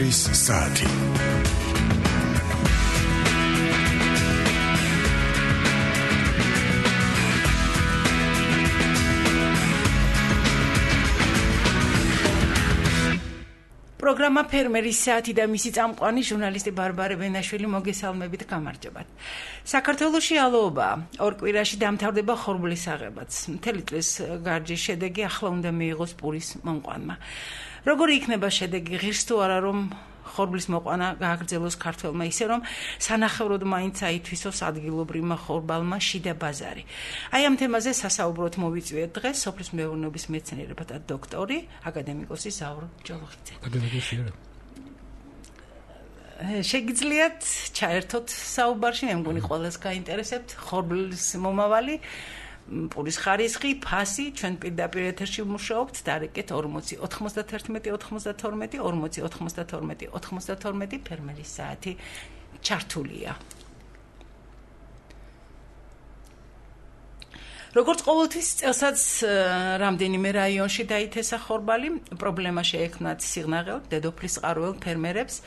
არის საათი. პროგრამა ფერმერის საათი და მისი წამყვანი ჟურნალისტი ბარბარე ბენაშვილი მოგესალმებით, გამარჯობათ. საქართველოში ალოობაა. ორ კვირაში დამთავრდება ხორბლის აღებაც. მთელი წლის გარჯის შედეგი ახლა უნდა მიიღოს პურის მომყვანმა. როგორი იქნება შედეგი, ღირს თუ არა რომ ხორბლის მოყვანა გააგრძელოს ქართველმა, ისე რომ სანახევროდ მაინც აითვისოს ადგილობრივმა ხორბალმა შიდა ბაზარი. აი ამ თემაზე სასაუბროდ მოვიწვიეთ დღეს სოფლის მეურნეობის მეცნიერებათა დოქტორი, აკადემიკოსი ზაურ ჯოლოხიძე. შეგიძლიათ ჩაერთოთ საუბარში, მე მგონი ყველას გაინტერესებთ ხორბლის მომავალი, პურის ხარისხი, ფასი, ჩვენ პირდაპირ ეთერში ვმუშაობთ, დარეკეთ 40 91 92 40 92 92 ფერმერის საათი ჩართულია. როგორც ყოველთვის წელსაც რამდენიმე რაიონში დაითესა ხორბალი, პრობლემა შეექმნათ სიღნაღელ, დედოფლის წყაროელ ფერმერებს.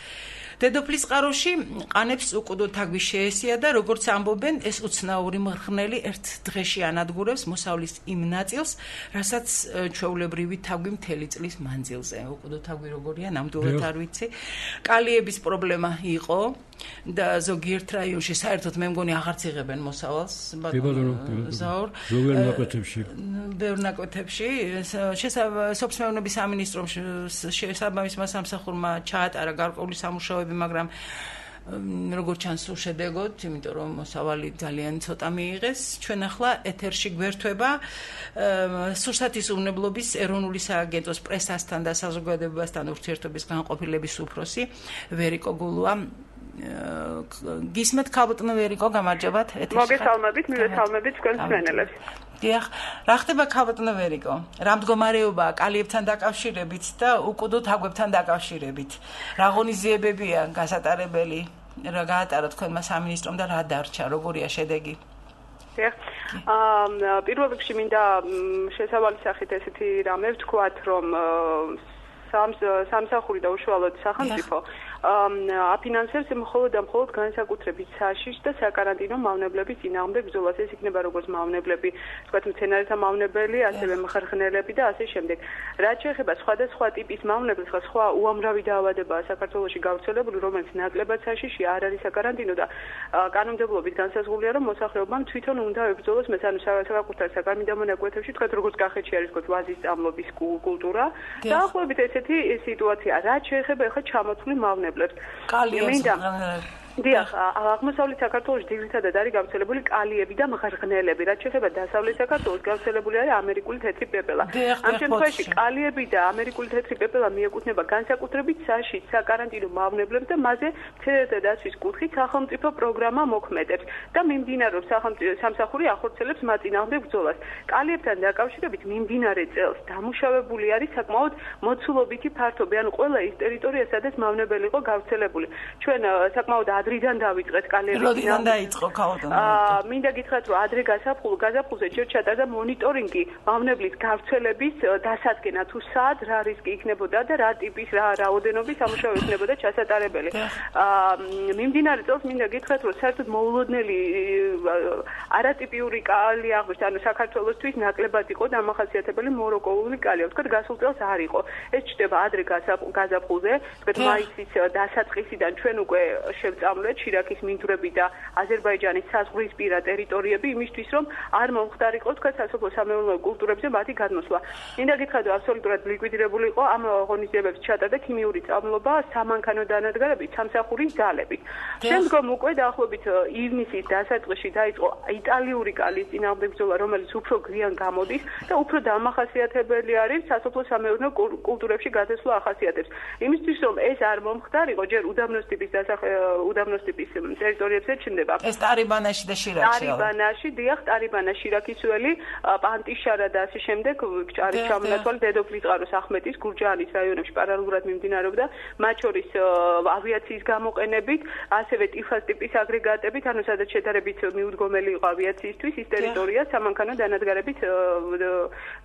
დედოფლის წყაროში ყანებს უკუდო თაგვის შეესია და როგორც ამბობენ, ეს უცნაური მღრღნელი ერთ დღეში ანადგურებს მოსავლის იმ ნაწილს, რასაც ჩვეულებრივი თაგვი მთელი წლის მანძილზე. უკუდო თაგვი როგორია, ნამდვილად არ ვიცი. კალიების პრობლემა იყო და ზოგიერთ რაიონში საერთოდ მე მგონი აღარც იღებენ მოსავალს. ზაურ ბევრ ნაკვეთებში სოფლის მეურნეობის სამინისტრომ შესაბამისმა სამსახურმა ჩაატარა გარკვეული სამუშაოები, მაგრამ როგორც ჩანს უშედეგოდ, იმიტომ რომ მოსავალი ძალიან ცოტა მიიღეს. ჩვენ ახლა ეთერში გვერდება სურსათის უნებლობის ეროვნული სააგენტოს პრესასთან და საზოგადოებასთან ურთიერთობის განყოფილების უფროსი ვერიკო გულუა. გისმენთ ქალბატონო ვერიკო, გამარჯობათ. მოგესალმებით, მივესალმებით თქვენ მსმენელებს. დიახ, რა ხდება ქალბატონო ვერიკო? რა მდგომარეობაა კალიებთან დაკავშირებით და უკუდო თაგვებთან დაკავშირებით? რა ღონისძიებებია გასატარებელი? რა გაატარა თქვენმა სამინისტრომ და რა დარჩა? როგორია შედეგი? პირველ რიგში მინდა შესავალი სახით ესეთი რამე ვთქვათ, რომ სამსახური და უშუალოდ სახელმწიფო აფინანსებს მხოლოდ და მხოლოდ განსაკუთრებით საშიშ და საკარანტინო მავნებლების წინააღმდეგ ბრძოლას. ეს იქნება როგორც მავნებლები, ვთქვათ, მცენარეთა მავნებელი, ასევე მხარხნელები და ასე შემდეგ. რაც შეეხება სხვადასხვა ტიპის მავნებელს, სხვა უამრავი დაავადებაა საქართველოში გავრცელებული, რომელიც ნაკლებად საშიში არ არის საკარანტინო და კანონმდებლობით განსაზღვრულია, რომ მოსახლეობამ თვითონ უნდა ებრძოლოს ანუ საკუთარ საკარმინდამო ნაკვეთებში, ვთქვათ, როგორც კახეთში არის თქო ვაზის წამლობის კულტურა. დაახლოებით ესეთი სიტუაცია. რაც შეეხება ახლა ჩამოთვლილ მავნებლებს. დიახ, აღმოსავლეთ საქართველოში ძირითადად არის გავრცელებული კალიები და მღრღნელები. რაც შეეხება დასავლეთ საქართველოს, გავრცელებული არის ამერიკული თეთრი პეპელა. ამ შემთხვევაში კალიები და ამერიკული თეთრი პეპელა მიეკუთვნება განსაკუთრებით საშიშ საკარანტინო მავნებლებს და მასზე მცენარეთა დაცვის კუთხით სახელმწიფო პროგრამა მოქმედებს და მიმდინარეობს სამსახური ახორციელებს მათ წინააღმდეგ ბრძოლას. კალიებთან დაკავშირებით მიმდინარე წელს დამუშავებული არის საკმაოდ მოცულობითი ფართობი, ანუ ყველა ის ტერიტორია, სადაც მავნებელი იყო გავრცელებული. ჩვენ საკმაოდ ადრიდან დავიწყეთ კალიების. როდიდან დაიწყო ქალბატონო? მინდა გითხრათ, რომ ადრე გაზაფხულზე ჯერ ჩატარდა მონიტორინგი მავნებლის გავრცელების დასადგენა, თუ სად რა რისკი იქნებოდა და რა ტიპის რა რაოდენობის სამუშაო იქნებოდა ჩასატარებელი. მიმდინარე წელს მინდა გითხრათ, რომ საერთოდ მოულოდნელი არატიპიური კალი აღმოჩნდა, ანუ საქართველოსთვის ნაკლებად იყო დამახასიათებელი მოროკოული კალი. ვთქვათ, გასულ წელს არ იყო. ეს ჩნდება ადრე გაზაფხულზე, ვთქვათ, მაისის დასაწყისიდან ჩვენ უკვე შევწავლეთ შირაქის მინდვრები და აზერბაიჯანის საზღვრისპირა ტერიტორიები იმისთვის, რომ არ მომხდარიყო თქვათ სასოფლო-სამეურნეო კულტურებზე მათი გადმოსვლა. მინდა გითხრათ, რომ აბსოლუტურად ლიკვიდირებული იყო ამ ღონისძიებებს ჩატარდა ქიმიური წამლობა სამანქანო დანადგარებით, სამსახურის ძალებით. შემდგომ უკვე დაახლოებით ივნისის დასაწყისში დაიწყო იტალიური კალის წინააღმდეგ ბრძოლა, რომელიც უფრო გვიან გამოდის და უფრო დამახასიათებელი არის სასოფლო-სამეურნეო კულტურებში გადასვლა ახასიათებს. იმისთვის, რომ ეს არ მომხდარიყო, ჯერ უდაბნოს ტიპის უდაბნოს ტიპის ტერიტორიებზე ჩნდება. ეს ტარიბანაში და შირაქში. ტარიბანაში, დიახ, ტარიბანა, შირაქისველი, პანტიშარა და ასე შემდეგ არის ჩამონათვალი დედოფლისწყაროს, ახმეტის, გურჯაანის რაიონებში პარალელურად მიმდინარეობდა, მათ შორის ავიაციის გამოყენებით, ასევე ტიფას ტიპის აგრეგატებით, ანუ სადაც შედარებით მიუდგომელი იყო ავიაციისთვის, ის ტერიტორია სამანქანო დანადგარებით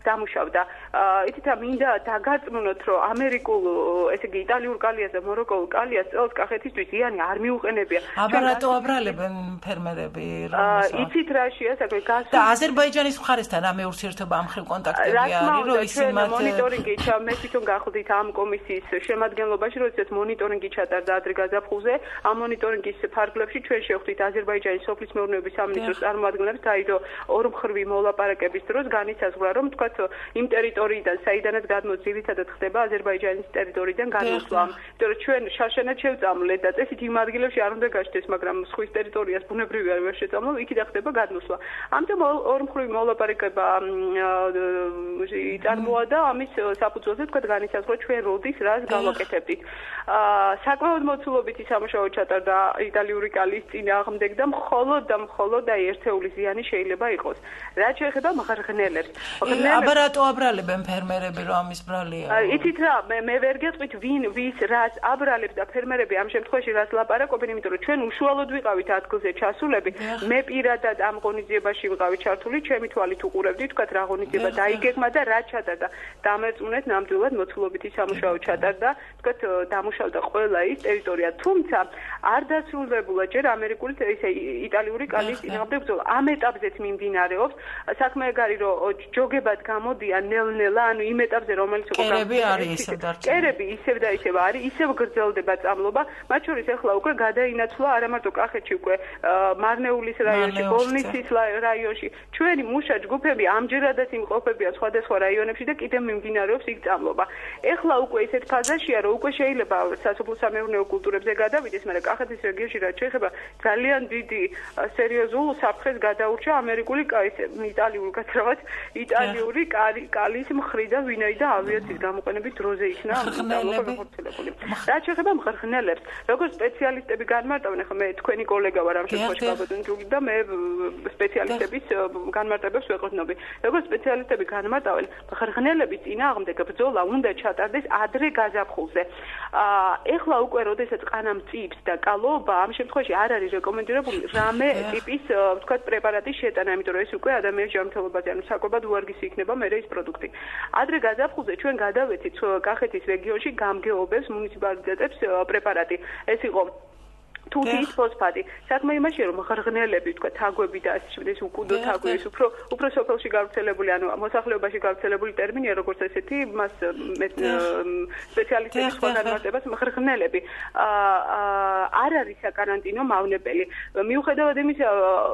დამუშავდა. ითითა მინდა დაგაწმუნოთ, რომ ამერიკულ, ესე იგი იტალიურ კალიას და მოროკოულ კალიას წელს კახეთისთვის იანი არ მიუყენებია. აბა რატო აბრალებენ ფერმერები? იცით რაშია საქმე? და აზერბაიჯანის მხარესთან რამე ურთიერთობა ამ ხელ კონტაქტები არის, რომ ისინი მათ მონიტორინგი მე თვითონ გახდით ამ კომისიის შემადგენლობაში, როდესაც მონიტორინგი ჩატარდა ადრე გაზაფხულზე, ამ მონიტორინგის ფარგლებში ჩვენ შევხვდით აზერბაიჯანის სოფლის მეურნეობის სამინისტროს წარმომადგენლებს, დაიდო ორმხრივი მოლაპარაკების დროს განისაზღვრა, რომ თქვათ იმ ტერიტორიიდან, საიდანაც გადმოდის, ძირითადად ხდება აზერბაიჯანის ტერიტორიიდან განმოსვლა. იმიტომ რომ ჩვენ შარშანად შევწამლეთ და წესით იმ ადგილებში არ უნდა გაჩნდეს, მაგრამ სხვის ტერიტორიას ბუნებრივი არ შეწამლო, იქიდან ხდება გადმოსვლა. ამიტომ ორმხრივი მოლაპარაკება იწარმოა და ამის საფუძველზე თქვათ განისაზღვრა ჩვენ როდის რას გავაკეთებდით. საკმაოდ მოცულობითი სამუშაო ჩატარდა იტალიური კალის წინააღმდეგ და მხოლოდ ერთეული ზიანი შეიძლება იყოს. რაც შეეხება მღრღნელებს. აბა რატო აბრალებენ ფერმერები, რომ ამის ბრალია? იცით რა, მე ვერ გეტყვით ვის რას აბრალებს და ფერმერები ამ შემთხვევაში რას ლაპარაკობენ, იმიტომ რომ ჩვენ უშუალოდ ვიყავით ადგილზე ჩასულები. მე პირადად ამ ღონისძიებაში ვიყავი ჩართული, ჩემი თვალით უყურებდი, თქვათ რა ღონისძიება დაიგეგმა და რა ჩატარდა. დამერწმუნეთ, ნამდვილად მოცულობითი სამუშაო ჩატარდა, თქვათ დამუშავდა ყველა ის ტერიტორია, თუმცა არ დასრულებულა ჯერ ამერიკული ისე იტალიური კალის წინააღმდეგ ბრძოლა. ამ ეტაპზეც მიმდინარეობს. საქმე ეგ არის, რომ ჯოგებად გამოდიან ნელ-ნელა, ანუ იმ ეტაპზე, რომელიც იყო კერები არის ისევ დარჩენილი. კერები ისევ და ისევ არის, ისევ გრძელდება წამლობა. მათ შორის ახლა უკვე გადაინაცვლა არა მარტო კახეთში, უკვე მარნეულის რაიონში, ბოლნიცის რაიონში. ჩვენი მუშა ჯგუფები ამჯერადაც იმყოფებიან სხვადასხვა რაიონებში და კიდევ მიმდინარეობს იქ წამლობა. ეხლა უკვე ისეთ ფაზაშია, რომ უკვე შეიძლება სასოფლო-სამეურნეო კულტურებზე გადავიდეს, მაგრამ კახეთის რეგიონში რაც შეეხება ძალიან დიდი სერიოზულ საფრთხეს გადაურჩა ამერიკული იტალიური გაძრავად იტალიური კალის მხრიდან, ვინაიდან ავიაციის გამოყენების დროზე იქნა წამლობა განხორციელებული. რაც შეეხება მღრღნელებს, როგორც სპეციალისტები განმარტავენ, ახლა მე თქვენი კოლეგა ვარ ამ შემთხვევაში გაბატონებული და მე სპეციალისტების განმარტებებს ვეყრდნობი. როგორც სპეციალისტები განმარტავენ, მღრღნელების წინააღმდეგ ბრძოლა უნდა ჩატარდეს ადრე გაზაფხულზე. ეხლა უკვე როდესაც ყანა მწიფს და კალობა, ამ შემთხვევაში არ არის რეკომენდირებული რამე ტიპის, ვთქვათ, პრეპარატის შეტანა, იმიტომ რომ ეს უკვე ადამიანის ჯანმრთელობაზე, ანუ საკვებად უარგისი იქნება მერე ის პროდუქტი. ადრე გაზაფხულზე ჩვენ გადავეცით კახეთის რეგიონში გამგეობებს მუნიციპალიტეტებს პრეპარატი. ეს იყო თუთიის ფოსფატი. საქმე იმაშია, რომ მღრღნელები, თქვა, თაგვები და ასე შემდეგ, უკუდო თაგვი, ის უფრო სოფელში გავრცელებული, ანუ მოსახლეობაში გავრცელებული ტერმინია, როგორც ესეთი, მას სპეციალისტების სხვა განმარტებას მღრღნელები. არ არის საკარანტინო მავნებელი. მიუხედავად იმისა,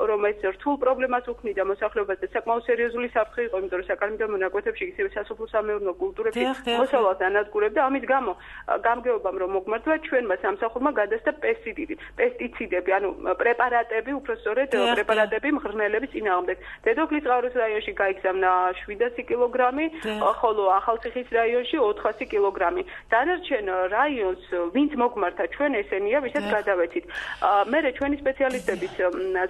რომ ეს რთულ პრობლემას უქმნიდა მოსახლეობას და საკმაოდ სერიოზული საფრთხე იყო, იმიტომ რომ საკარანტინო მონაკვეთებში ისევე სასოფლო-სამეურნეო კულტურებში მოსავალს ანადგურებდა, ამის გამო გამგეობამ რომ მოგმართვა, ჩვენმა სამსახურმა გადასცა პესტიციდები, ანუ პრეპარატები, უпроსწორედ პრეპარატები მღრღნელების წინააღმდეგ. დედოფლისწყაროს რაიონში გაიგზავნა 700 კილოგრამი, ხოლო ახალციხის რაიონში 400 კილოგრამი. დანარჩენ რაიონს, ვინც მოგმართა, ჩვენ ესენია, ვისაც გადავეცით. მერე ჩვენი სპეციალისტების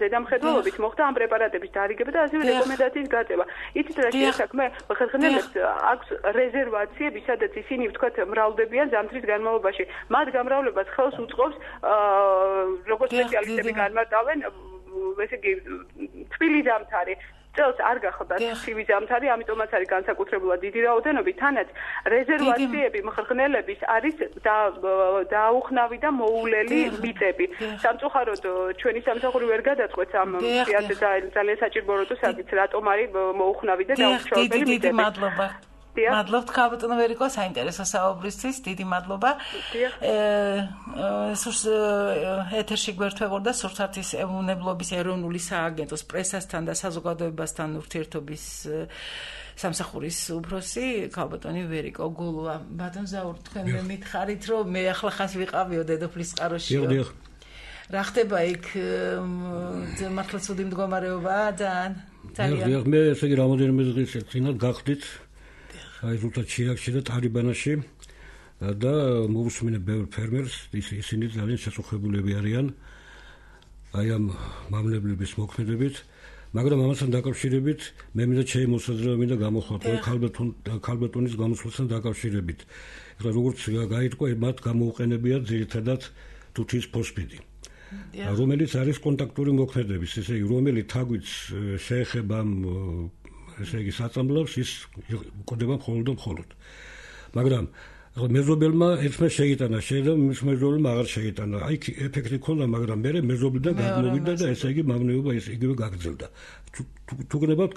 ზედამხედველობით მოხდა ამ პრეპარატების დარიგება და ასევე რეკომენდაციის გაწევა. იცით რა საქმე? მღრღნელებს აქვს რეზერვაციები, სადაც ისინი, ვთქვათ, მრავლდებიან ზამთრის განმავლობაში. მათ გამრავლებას ხელს უწყობს როგორც სპეციალისტები განმარტავენ, ესე იგი, თბილი ზამთარი. წელს არ გახდა ცივი ზამთარი, ამიტომაც არის განსაკუთრებულად დიდი რაოდენობა, თანაც რეზერვაციები მღრღნელების არის დაუხნავი და მოულელი მიწები. სამწუხაროდ ჩვენი სამსახური ვერ გადაწყვეტს ამ ძალიან საჭირო როდესაც რატომ არის მოუხნავი და დაუხშავებელი მიწები. მადლობთ ქალბატონო ვერიკო, საინტერესო საუბრისთვის, დიდი მადლობა. ეთერში გვერდთვეყორდა სურსათის ეუნებლობის ეროვნული სააგენტოს პრესასთან და საზოგადოებასთან ურთიერთობის სამსახურის უფროსი ქალბატონი ვერიკო გულუა. ბატონ ზაურ, თქვენ მე მითხარით, რომ მე ახლა ხას ვიყავიო დედოფლისწყაროში. რა ხდება იქ? მართლა ცუდი მდგომარეობაა ძალიან. მე ესე იგი რამოდენიმე დღის წინათ გახდით აი ზუსტად შირაქში და ტარიბანაში და მოусმინე ბევრ ფერმერს, ისინი ძალიან შესაძლებელები არიან აი ამ მამლებლების მოქმედებით, მაგრამ ამასთან დაკავშირებით მე მინდა შემოსაზრება მინდა გამოხატო ქალბატონის გამოსვლასთან დაკავშირებით. ეხლა როგორც გაიტყვა, მათ გამოუყენებიათ ძირითადად თუთის ფოსფიდი. რომელიც არის კონტაქტური მოქმედების, ესე იგი, რომელიც თაგვიც შეეხება ესე იგი საწამლავს, ის უყდება მხოლოდ. მაგრამ მეზობელმა ერთმა შეიტანა, შეიძლება მის მეზობელმა აღარ შეიტანა. აი ეფექტი ქონდა, მაგრამ მე მეზობლიდან გადმოვიდა და ესე იგი მავნეობა ის იგივე გაგრძელდა. თუ გნებავთ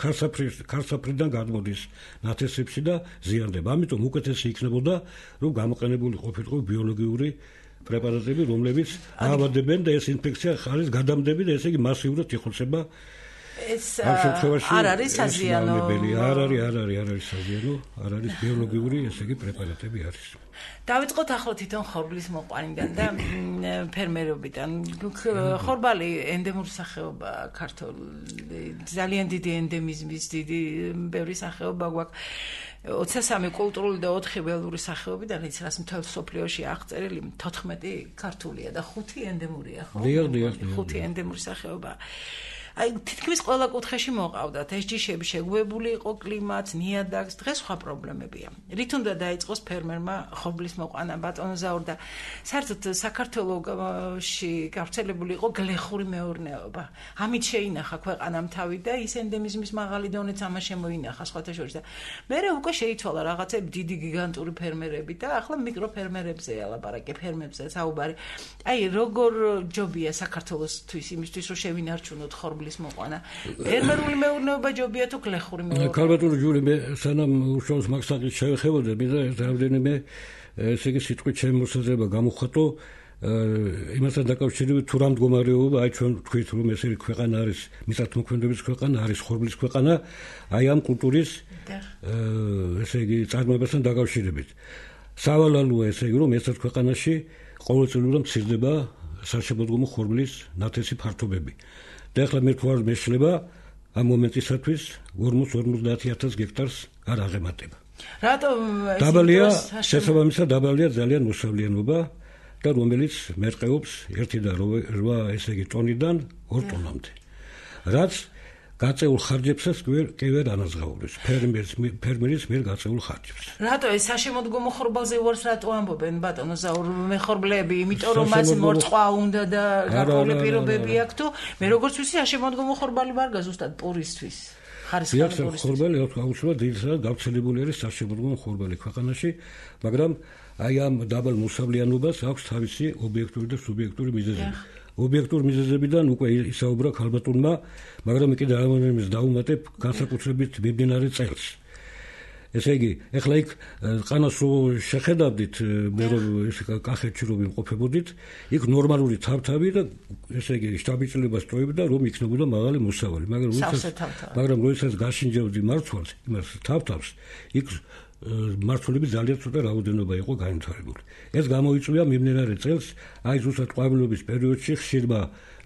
ქარსაფრიდან გადმოდის ნათესებში და ზიანდება. ამიტომ უკეთესი იქნებოდა, რომ გამოყენებული ყოფილიყო ბიოლოგიური პრეპარატები, რომლებიც აავადებენ და ეს ინფექცია არის გადამდები და ესე იგი მასიურად იხოცება. ეს არ არის საზიანო. არ არის საზიანო, არ არის ბიოლოგიური, ესე იგი პრეპარატები არის. დავიწყოთ ახლა თვითონ ხორბლის მოყვანიდან და ფერმერობიდან. ხორბალი ენდემური სახეობა ქართული, ძალიან დიდი ენდემიზმის, დიდი ბევრი სახეობა გვაქვს. 23 კულტურული და 4 ველური სახეობიდან, იცი რას მთელ სოფლიოში აღწერილი 14 ქართულია და 5 ენდემურია, ხო? 5 ენდემური სახეობა. აი თითქმის ყველა კუთხეში მოყავდათ ეს ჯიშები შეგუებული იყო კლიმატს, ნიადაგს, დღეს სხვა პრობლემებია. რით უნდა დაიწყოს ფერმერმა ხორბლის მოყვანა ბატონოზაურ და საერთოდ საქართველოში გავრცელებული იყო გლეხური მეურნეობა. ამით შეინახა ქვეყანამ თავი და ის ენდემიზმის მაღალი დონეც ამას შემოინახა სხვათა შორის და მერე უკვე შეიცვალა რაღაცები დიდი გიგანტური ფერმერები და ახლა მიკროფერმერებზეა ლაპარაკი, ფერმებზე საუბარი. აი როგორ ჯობია საქართველოსთვის იმისთვის რომ შევინარჩუნოთ ხორბლის მოყვანა. ფერმერული მეურნეობა ჯობია თუ გლეხური მეურნეობა? ქალბატონო ჯული, მე სანამ უშუალოდ მაგსაკით შევეხებოდი და რამდენიმე ესე იგი სიტყვით შემოსაზრება გამოვხატო იმასთან დაკავშირებით თუ რა მდგომარეობა, აი ჩვენ თქვით რომ ეს ქვეყანა არის მიწათმოქმედების ქვეყანა, არის ხორბლის ქვეყანა, აი ამ კულტურის ესე იგი წარმოებასთან დაკავშირებით. სავალალოა ესე იგი რომ ესეთ ქვეყანაში ყოველწლიურად მცირდება საშემოდგომო ხორბლის ნათესი ფართობები. და ახლა მე თქვა მეშლება ამ მომენტისათვის 40-50,000 გექტარს არ აღემატება. რატომ დაბალია შესაბამისად დაბალია ძალიან მოსავლიანობა და რომელიც მერყეობს 1.8 ესე იგი ტონიდან 2 ტონამდე. რაც გაწეულ ხარჯებსაც კი ვერ ანაზღაურებს ფერმერის მიერ გაწეულ ხარჯებს. რატო ეს საშემოდგომო ხორბალზე ვარს რატო ამბობენ ბატონო ზაურ მეხორბლები, იმიტომ რომ მას მორწყვა უნდა და გარკვეული პირობები აქვს თუ მე როგორც ვიცი საშემოდგომო ხორბალი ვარ ზუსტად პურისთვის. ხარისხიანი ხორბალი აუცილებლად ძირითადად გავრცელებული არის საშემოდგომო ხორბალი ქვეყანაში, მაგრამ აი ამ დაბალ მოსავლიანობას აქვს თავისი ობიექტური და სუბიექტური მიზეზები. ობიექტურ მიზეზებიდან უკვე ისაუბრა ქალბატონმა, მაგრამ კიდე ამის დაუმატებ განსაკუთრებით მიმდინარე წელს. ესე იგი, ეხლა იქ ყანას რო შეხედავდით, მე რომ ეს კახეთში რო ვიმყოფებოდით, იქ ნორმალური თავთავი და ესე იგი შტაბიჭლებას ტოვებდა, რომ იქნებოდა მაღალი მოსავალი, მაგრამ როდესაც გაშინჯებდი მარცვალს, იმას თავთავს, იქ მართლები ძალიან ცოტა რაოდენობა იყო განვითარებული. ეს გამოიწვია მიმდინარე წელს, აი ზუსტად ყვავილობის პერიოდში ხშირმა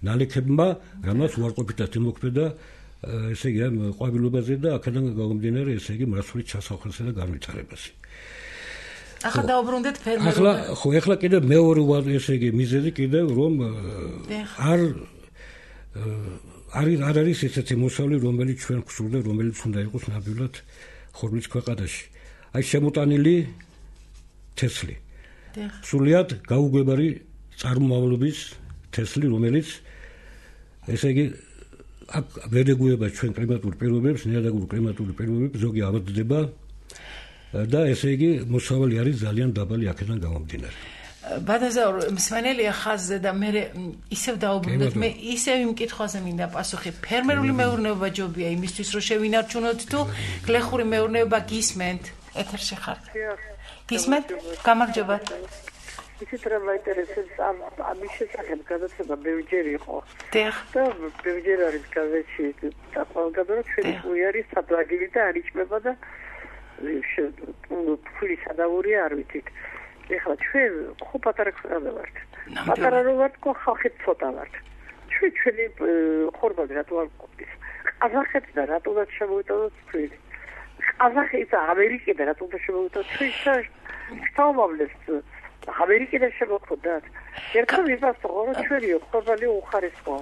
ნალექებმა, რამაც უარყოფითად იმოქმედა ესე იგი ამ ყვავილობაზე და აქედან გამომდინარე ესე იგი მართლით ჩასახელსა და განვითარებაზე. ახლა დაუბრუნდეთ ფერმერობას. ახლა კიდე მეორე ესე იგი მიზეზი კიდე რომ არ არის ესეთი მოსავლი, რომელიც ჩვენ გვსურდა, რომელიც უნდა იყოს ნამდვილად ხორბლის ქვეყანაში. აი შემოტანილი თესლი. სულიად გაუგვებარი წარმომავლობის თესლი, რომელიც ესე იგი აქ ვერ ეგუება ჩვენ კლიმატურ პირობებს, ნიადაგურ კლიმატურ პირობებს, ზოგი ავადდება და ესე იგი მოსავალი არის ძალიან დაბალი აქედან გამომდინარე. ბატონზაურ მსმენელია ხაზზე და მე ისევ დაუბრუნდეთ, მე ისევ იმ კითხვაზე მინდა პასუხი. ფერმერული მეურნეობა ჯობია იმისთვის რომ შევინარჩუნოთ თუ გლეხური მეურნეობა გისმენთ? ეთერში ხარ. გისმენთ? გამარჯობა. ისეთ რა მაინტერესებს ამის შესახებ გადაცემა ბევრჯერ იყო. და ბევრჯერ არის გაზეთში და ყველგან ჩვენი უარი სადვაგილი და არ იჭმება და ფული სადავური არ ვიცით. ეხლა ჩვენ ხო პატარა ქვეყანა ვართ. პატარა რო ვართ, ხო ხალხით ცოტა ვართ. ჩვენი ხორბალი რატო არ ყოფის? ყაზახეთიდან რატოდაც შემოვიტანოთ თქვენი? ყაზახეთს ამერიკიდან რატო შემოვიტანოთ? შთამომავლებს ამერიკიდან შემოხვდათ. ერთხელ ვიფასო, რომ ჩვენი ხორბალი უხარისხოა.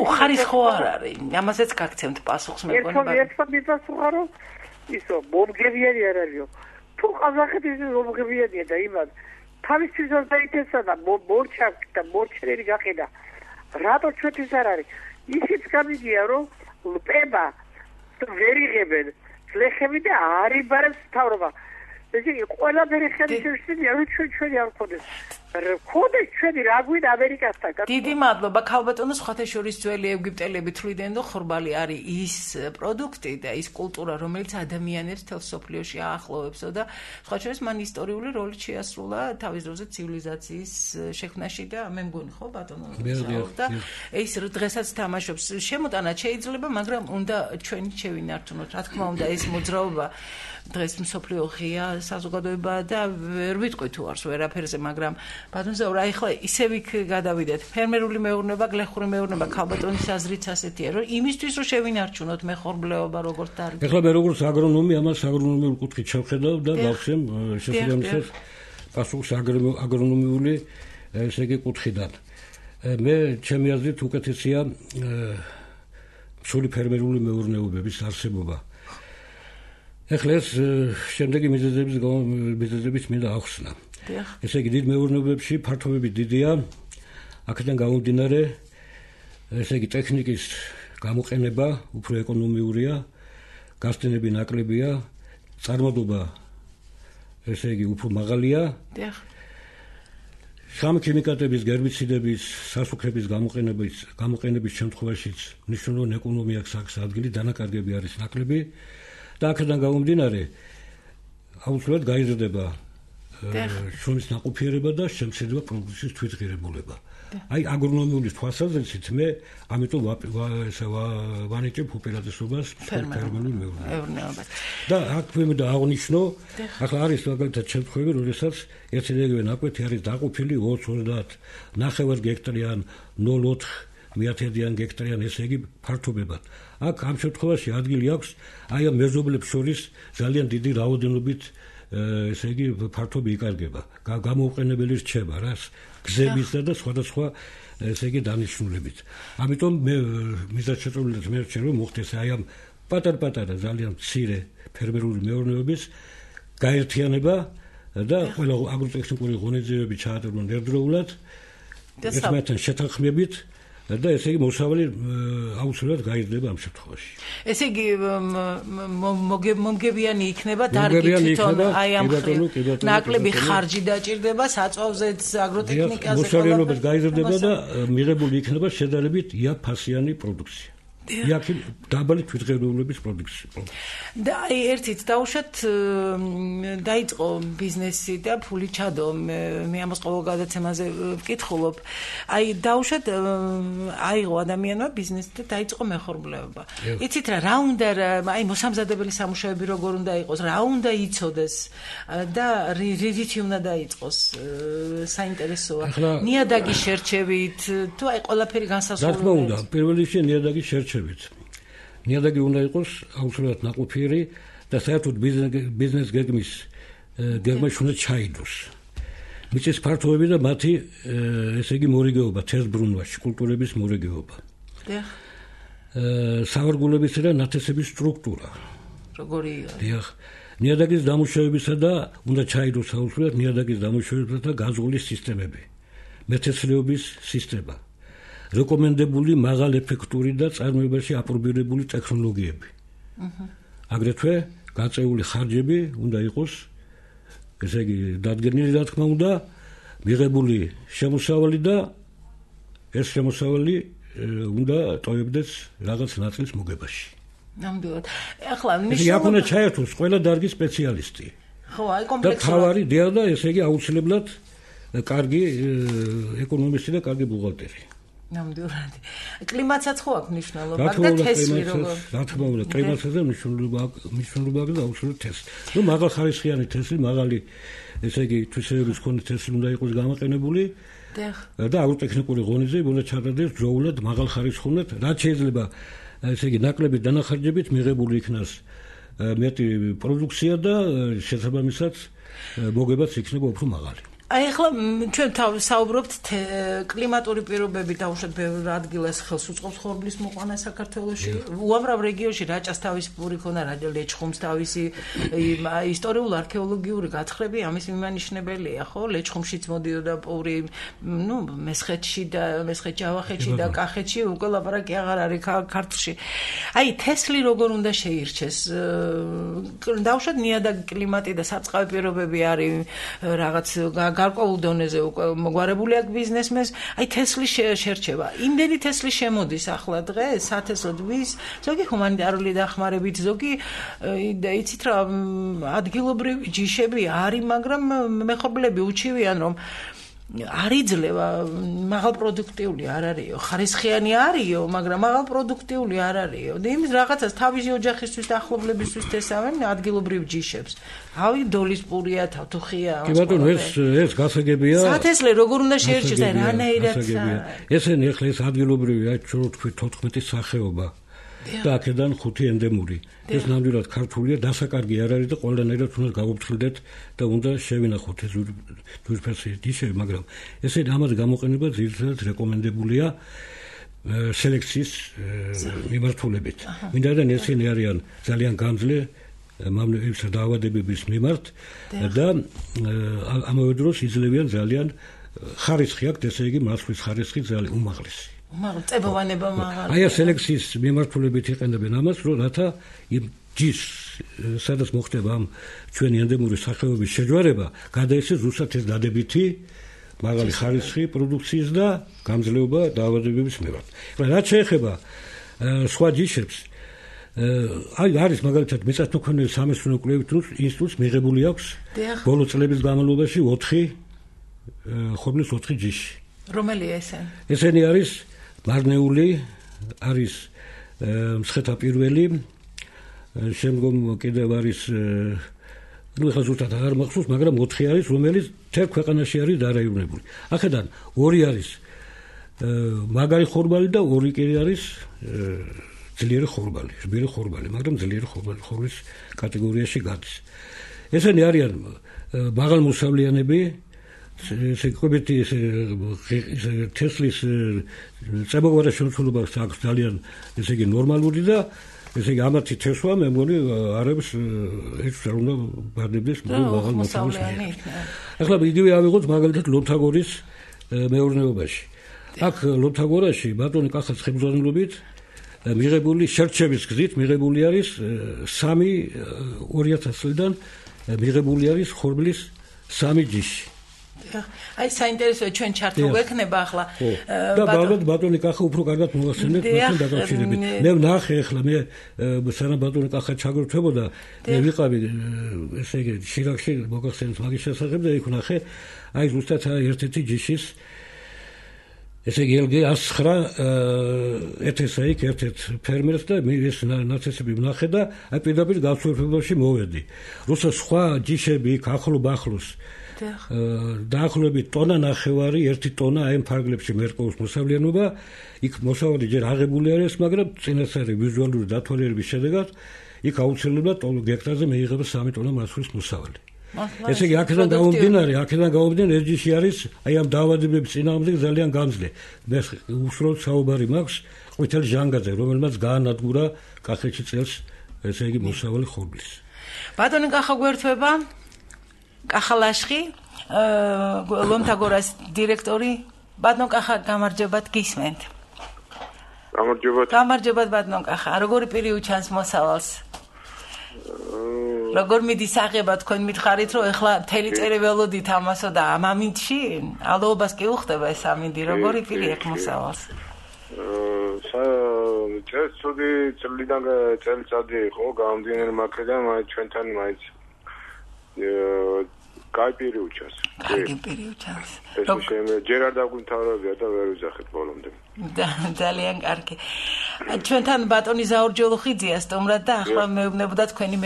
უხარისხო არ არის. ამასაც გაგცემთ პასუხს მეგონება. ერთხელ ვიფასო, რომ ისო მომგებიანი არ არისო. თუ ყაზახეთი მომგებიანია და იმან თავისთვის დაიწესა და მორჩა და მორჩერები გაყიდა. რატო ჩვენთვის არ არის? ისიც გამიგია, რომ ლპება ვერ იღებენ ლეხები და არ იბარებს მთავრობა. ესე იგი, ყველაფერი ხელისშეშლილია, რომ ჩვენი არ ვქონდეს. ხოდეს ჩვენი რა გვინდა ამერიკასთან. დიდი მადლობა. ქალბატონო, სხვათა შორის ძველი ეგვიპტელები თვლიდნენ, რომ ხორბალი არის ის პროდუქტი და ის კულტურა, რომელიც ადამიანებს თელ სოფლიოში აახლოვებსო და სხვა შორის მან ისტორიული როლი შეასრულა თავის დროზე ცივილიზაციის შექმნაში და მე მგონი ხო ბატონო და ის დღესაც თამაშობს. შემოტანად შეიძლება, მაგრამ უნდა ჩვენი შევინართუნოთ. რა თქმა უნდა, ეს მოძრაობა დღეს მსოფლიო ღია საზოგადოება და ვერ ვიტყვი თუ არს ვერაფერზე, მაგრამ ბატონო ზაურა, ახლა ისევ იქ გადავიდეთ. ფერმერული მეურნეობა, გლეხური მეურნეობა, ქალბატონის აზრიც ასეთია, რომ იმისთვის რომ შევინარჩუნოთ მეხორბლეობა როგორც დარგი. ახლა მე როგორც აგრონომი ამას აგრონომიულ კუთხით შევხედავ და გავხსენ შესაბამისად პასუხს აგრონომიული ესე იგი კუთხიდან. მე ჩემი აზრით უკეთესია სული ფერმერული მეურნეობების არსებობა. ახლა ეს შემდეგი მიზეზების მინდა ახსნა. ესე იგი დიდ მეურნეობებში ფართობები დიდია. აქედან გამომდინარე, ესე იგი ტექნიკის გამოყენება უფრო ეკონომიურია, გასტენები ნაკლებია, წარმოდობა ესე იგი უფრო მაღალია. სამქიმიკატების, გერბიციდების, სასუქების გამოყენების შემთხვევაშიც მნიშვნელოვანი ეკონომია აქვს ადგილი, დანაკარგები არის ნაკლები და აქედან გამომდინარე აუცილებლად გაიზრდება შრომის ნაყოფიერება და შემცირდება პროდუქციის თვითღირებულება. აი აგრონომიული თვალსაზრისით მე ამიტომ ვანიჭებ უპირატესობას ფერმერულ მეურნეობას. და აქ მე აღნიშნო, ახლა არის მაგალითად შემთხვევები, როდესაც ერთი რეგიონი ნაკვეთი არის დაყოფილი 20-30 ნახევარ გექტარიან 0,4 მიათედიან გექტარიან, ესე იგი ფართობებად. აქ ამ შემთხვევაში ადგილი აქვს აი ამ მეზობლებს შორის ძალიან დიდი რაოდენობით ესე იგი ფართობი იკარგება. გამოუყენებელი რჩება რა გზებისა და სხვადასხვა ესე იგი დანიშნულებით. ამიტომ მე მიზანშეწონილად მე ვერჩენ რომ მოხდეს აი ამ პატარ-პატარა ძალიან მცირე ფერმერული მეურნეობის გაერთიანება და ყველა აგროტექნიკური ღონისძიებები ჩაატარონ ერთდროულად ერთმანეთთან შეთანხმებით და ესე იგი მოსავალი აუცილებლად გაიზრდება ამ შემთხვევაში. ესე იგი მომგებიანი იქნება დარგი თვითონ აი ამ ნაკლები ხარჯი დაჭირდება საწვავზეც აგროტექნიკაზე მოსავლიანობად გაიზრდება და მიღებული იქნება შედარებით იაფფასიანი პროდუქცია. იაფი დაბალი თვითღირებულების პროდუქცია. და აი ერთით დაუშვათ დაიწყო ბიზნესი და ფული ჩადო მე ამას ყოველ გადაცემაზე ვკითხულობ. აი დაუშვათ აიღო ადამიანმა ბიზნესი და დაიწყო მეხორბლეობა. იცით რა უნდა აი მოსამზადებელი სამუშაოები როგორ უნდა იყოს, რა უნდა იცოდეს და რითი უნდა დაიწყოს საინტერესოა. ნიადაგის შერჩევით თუ აი ყველაფერი განსასწორია. რა თქმა უნდა, პირველ რიგში ნიადაგის შერჩევით. ნიადაგი უნდა იყოს აუცილებლად ნაყოფიერი და საერთოდ ბიზნეს გეგმაში უნდა ჩაიდოს. მიწის ფართობები და მათი ესე იგი მორიგეობა თესბრუნვაში, კულტურების მორიგეობა. სავარგულებისა და ნათესების სტრუქტურა. როგორია? დიახ. ნიადაგის დამუშავებისა და უნდა ჩაიდოს აუცილებლად ნიადაგის დამუშავებისა და გაზღვის სისტემები. მეთესლეობის სისტემა. რეკომენდებული მაღალ ეფექტური და წარმოებაში აპრობირებული ტექნოლოგიები. აგრეთვე გაწეული ხარჯები უნდა იყოს ესე იგი დადგენილი რა თქმა უნდა მიღებული შემოსავალი და ეს შემოსავალი უნდა ტოვებდეს რაღაც ნაწილის მოგებაში. ნამდვილად. ახლა აქ უნდა ჩაერთოს ყველა დარგის სპეციალისტი. ხო, აი კომპლექსურად. და თავარი დიახ და ესე იგი აუცილებლად კარგი ეკონომისტი და კარგი ბუღალტერი. ნამდვილად. კლიმატსაც ხო აქვს მნიშვნელობა და თესლი როგორ? რა თქმა უნდა, კლიმატზე მნიშვნელობა აქვს და აუცილებლად თესლი. ნუ მაღალხარისხიანი თესლი, მაღალი ესე იგი თვისებების მქონე თესლი უნდა იყოს გამოყენებული. და აგროტექნიკური ღონისძიებები უნდა ჩატარდეს ბრძოლად მაღალხარისხოვნად, რაც შეიძლება ესე იგი ნაკლები დანახარჯებით მიღებული იქნას მეტი პროდუქცია და შესაბამისად მოგებაც იქნება უფრო მაღალი. აი ახლა ჩვენ საუბრობთ კლიმატური პირობები დაუშვათ ბევრ ადგილას ხელს უწყობს ხორბლის მოყვანა საქართველოში. უამრავ რეგიონში რაჭას თავისი პური ქონა, ლეჩხუმს თავისი ისტორიულ-არქეოლოგიური გათხრები ამის მიმანიშნებელია, ხო? ლეჩხუმშიც მოდიოდა პური, მესხეთში და მესხეთ-ჯავახეთში და კახეთში უკვე ლაპარაკი აღარ არის ქართლში. აი თესლი როგორ უნდა შეირჩეს? დაუშვათ ნიადაგი კლიმატი და სარწყავი პირობები არის რაღაც გარკვეულ დონეზე უკვე მოგვარებული აქვს ბიზნესმენს, აი თესლი შერჩება. იმდენი თესლი შემოდის ახლა დღეს, სათესლოდვის, ზოგი ჰუმანიტარული დახმარებით, ზოგი იცით რა, ადგილობრივი ჯიშები არის, მაგრამ მეხობლები უჩივიან, რომ არ იძლევა, მაღალპროდუქტიული არ არისო, ხარისხიანი არისო, მაგრამ მაღალპროდუქტიული არ არისო. და იმის რაღაცას თავისი ოჯახისთვის და ახლობლებისთვის თესავენ ადგილობრივ ჯიშებს. ავი დოლის პურია, თათუხია. კი ბატონო, ეს გასაგებია. სათესლე როგორ უნდა შეერჩეს და რანაირად? ესენი ახლა ეს ადგილობრივი, ჩვენ ვთქვით 14 სახეობა. და აქედან 5 ენდემური. ეს ნამდვილად ქართულია, დასაკარგი არ არის და ყველანაირად უნდა გავუფრთხილდეთ და უნდა შევინახოთ ეს ძვირფასი ჯიშები, მაგრამ ესეთი ამას გამოყენება ძირითადად რეკომენდებულია სელექციის მიმართულებით. მინდაიდან ესენი არიან ძალიან გამძლე მამლებისა დაავადებების მიმართ და ამავე დროს იძლევიან ძალიან ხარისხი აქვს, ესე იგი მასვლის ხარისხი ძალიან უმაღლესი. წებოვანება მაღალი. აი სელექციის მიმართულებით იყენებენ ამას, რომ რათა იმ ჯიშს, სადაც მოხდება ამ ჩვენი ენდემური სახეობის შეჯვარება, გადაეცეს ზუსტად ეს დადებითი მაღალი ხარისხი პროდუქციის და გამძლეობა დაავადებების მიმართ. რაც შეეხება სხვა ჯიშებს, აი არის მაგალითად მიწათმოქმედების სამეცნიერო კვლევით ინსტიტუტს მიღებული აქვს ბოლო წლების განმავლობაში 4 ხორბლის 4 ჯიში. რომელია ესენი? ესენი არის მარნეული, არის მსხეთა პირველი, შემდგომ კიდევ არის ეხლა ზუსტად აღარ მახსოვს, მაგრამ 4 არის, რომელიც თერ ქვეყანაში არის დარაიონებული. ახედან 2 არის მაგარი ხორბალი და 2 კი არის ძლიერი ხორბალი, რბილი ხორბალი, მაგრამ ძლიერი ხორბალის კატეგორიაში გადის. ესენი არიან მაღალმოსავლიანები, სიკვებითი თესლის წებოვარა შემცველობა აქვს ძალიან, ესე იგი ნორმალური და ესე იგი ამათი თესვა მე მგონი არებს ეს რა უნდა ბარდებდეს მაღალ მოსავლიანი. ახლა იგივე ავიღოთ მაგალითად ლონთაგორის მეურნეობაში. აქ ლონთაგორაში ბატონი კახას ხებრძოლობით მიღებული შერჩევის გზით მიღებული არის 2000 წლიდან მიღებული არის ხორბლის 3 ჯიში. აი საინტერესოა ჩვენ ჩარტი გვექნება ახლა და ბატონი კახა უფრო კარგად მოახსენეთ მასთან დაკავშირებით. მე ვნახე ახლა მე სანამ ბატონი კახა ჩაგროვებოდა მე ვიყავი ესე იგი შირაქში მოგახსენეთ მაგის შესახებ და იქ ვნახე აი ზუსტად ერთ-ერთი ჯიშის ესე იგი LG 109 ეთესა იქ ერთ-ერთ ფერმერს და მე ეს ნაცესები ვნახე და აი პირდაპირ გასწორებაში მოვედი. როცა სხვა ჯიშები იქ ახლოს დაახლოებით ტონა ნახევარი, 1 ტონა აი ფარგლებში მერყეობს მოსავლიანობა, იქ მოსავალი ჯერ აღებული არის, მაგრამ წინასწარი ვიზუალური დათვალიერების შედეგად იქ აუცილებლად გექტარზე მეიღება 3 ტონა მასვლის მოსავალი. ესე იგი აქედან გამომდინარე ეს ჯიში არის აი ამ დაავადებების წინააღმდეგ ძალიან გამძლე. მე უშუალოდ საუბარი მაქვს ყვითელ ჟანგაზე, რომელმაც გაანადგურა კახეთში წელს ესე იგი მოსავალი ხორბლის. ბატონი კახა გვერდება კახალაშხი ლონთაგორას დირექტორი ბატონ კახა გამარჯობათ გისმენთ. გამარჯობათ ბატონ კახა, როგორი პირი უჩანს მოსავალს? როგორ მიდის აღება თქვენ მითხარით რომ ეხლა მთელი წელი ველოდით ამასო და ამ ამინდში ალოობას კი უხდება ეს ამინდი, როგორი პირი აქვს მოსავალს? წელიწადი იყო გამომდინარე მაგიდან მაინც ჩვენთან მაინც კაიპირი უჩას. კარგი პირი უჩას. ეს ჯერ არ დაგვიმთავრებია და ვერ ვიძახეთ ბოლომდე. ძალიან კარგი. ჩვენთან ბატონი ზაურჯოლოხიძეა სტუმრად და ახლა მეუბნებოდა თქვენი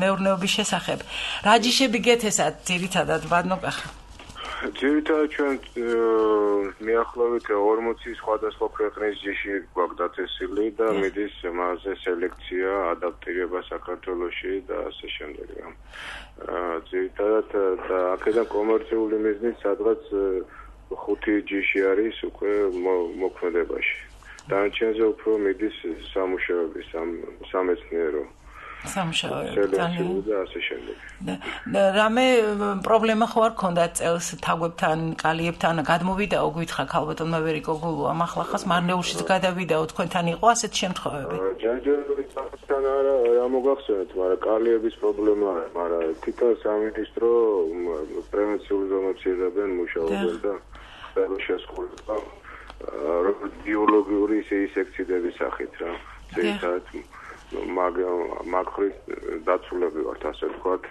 მეურნეობის შესახებ. რა ჯიშები გეთესათ ძირითადად ბატონო კახა? ძირითადად ჩვენ მიახლოებით 40 სხვადასხვა ქვეყნის ჯიში გვაქვს დაწესილი და მიდის მასზე სელექცია, ადაპტირება საქართველოში და ასე შემდეგ. ძირითადად და აქედან კომერციული მიზნით სადღაც 5 ჯიში არის უკვე მოქმედებაში. დანარჩენზე უფრო მიდის სამუშაოები, სამეცნიერო სამუშაოები და ასე შემდეგ. რამე პრობლემა ხო არ ქონდათ წელს თაგვებთან, კალიებთან გადმოვიდაო გითხრა ქალბატონმა ვერიკო გულუამ ახლა ხას მარნეულშიც გადავიდაო თქვენთან იყო ასეთ შემთხვევები? ჯანჯერობისთან არა მოგახსენეთ, მაგრამ კალიების პრობლემა არა, მაგრამ თვითონ სამინისტრო პრევენციულ ზონებში იღებენ მუშაობენ და შესაძლოა ბიოლოგიური სექციების სახით რა. ძირითადად მაგხრის დაცულები ვართ ასე ვთქვათ.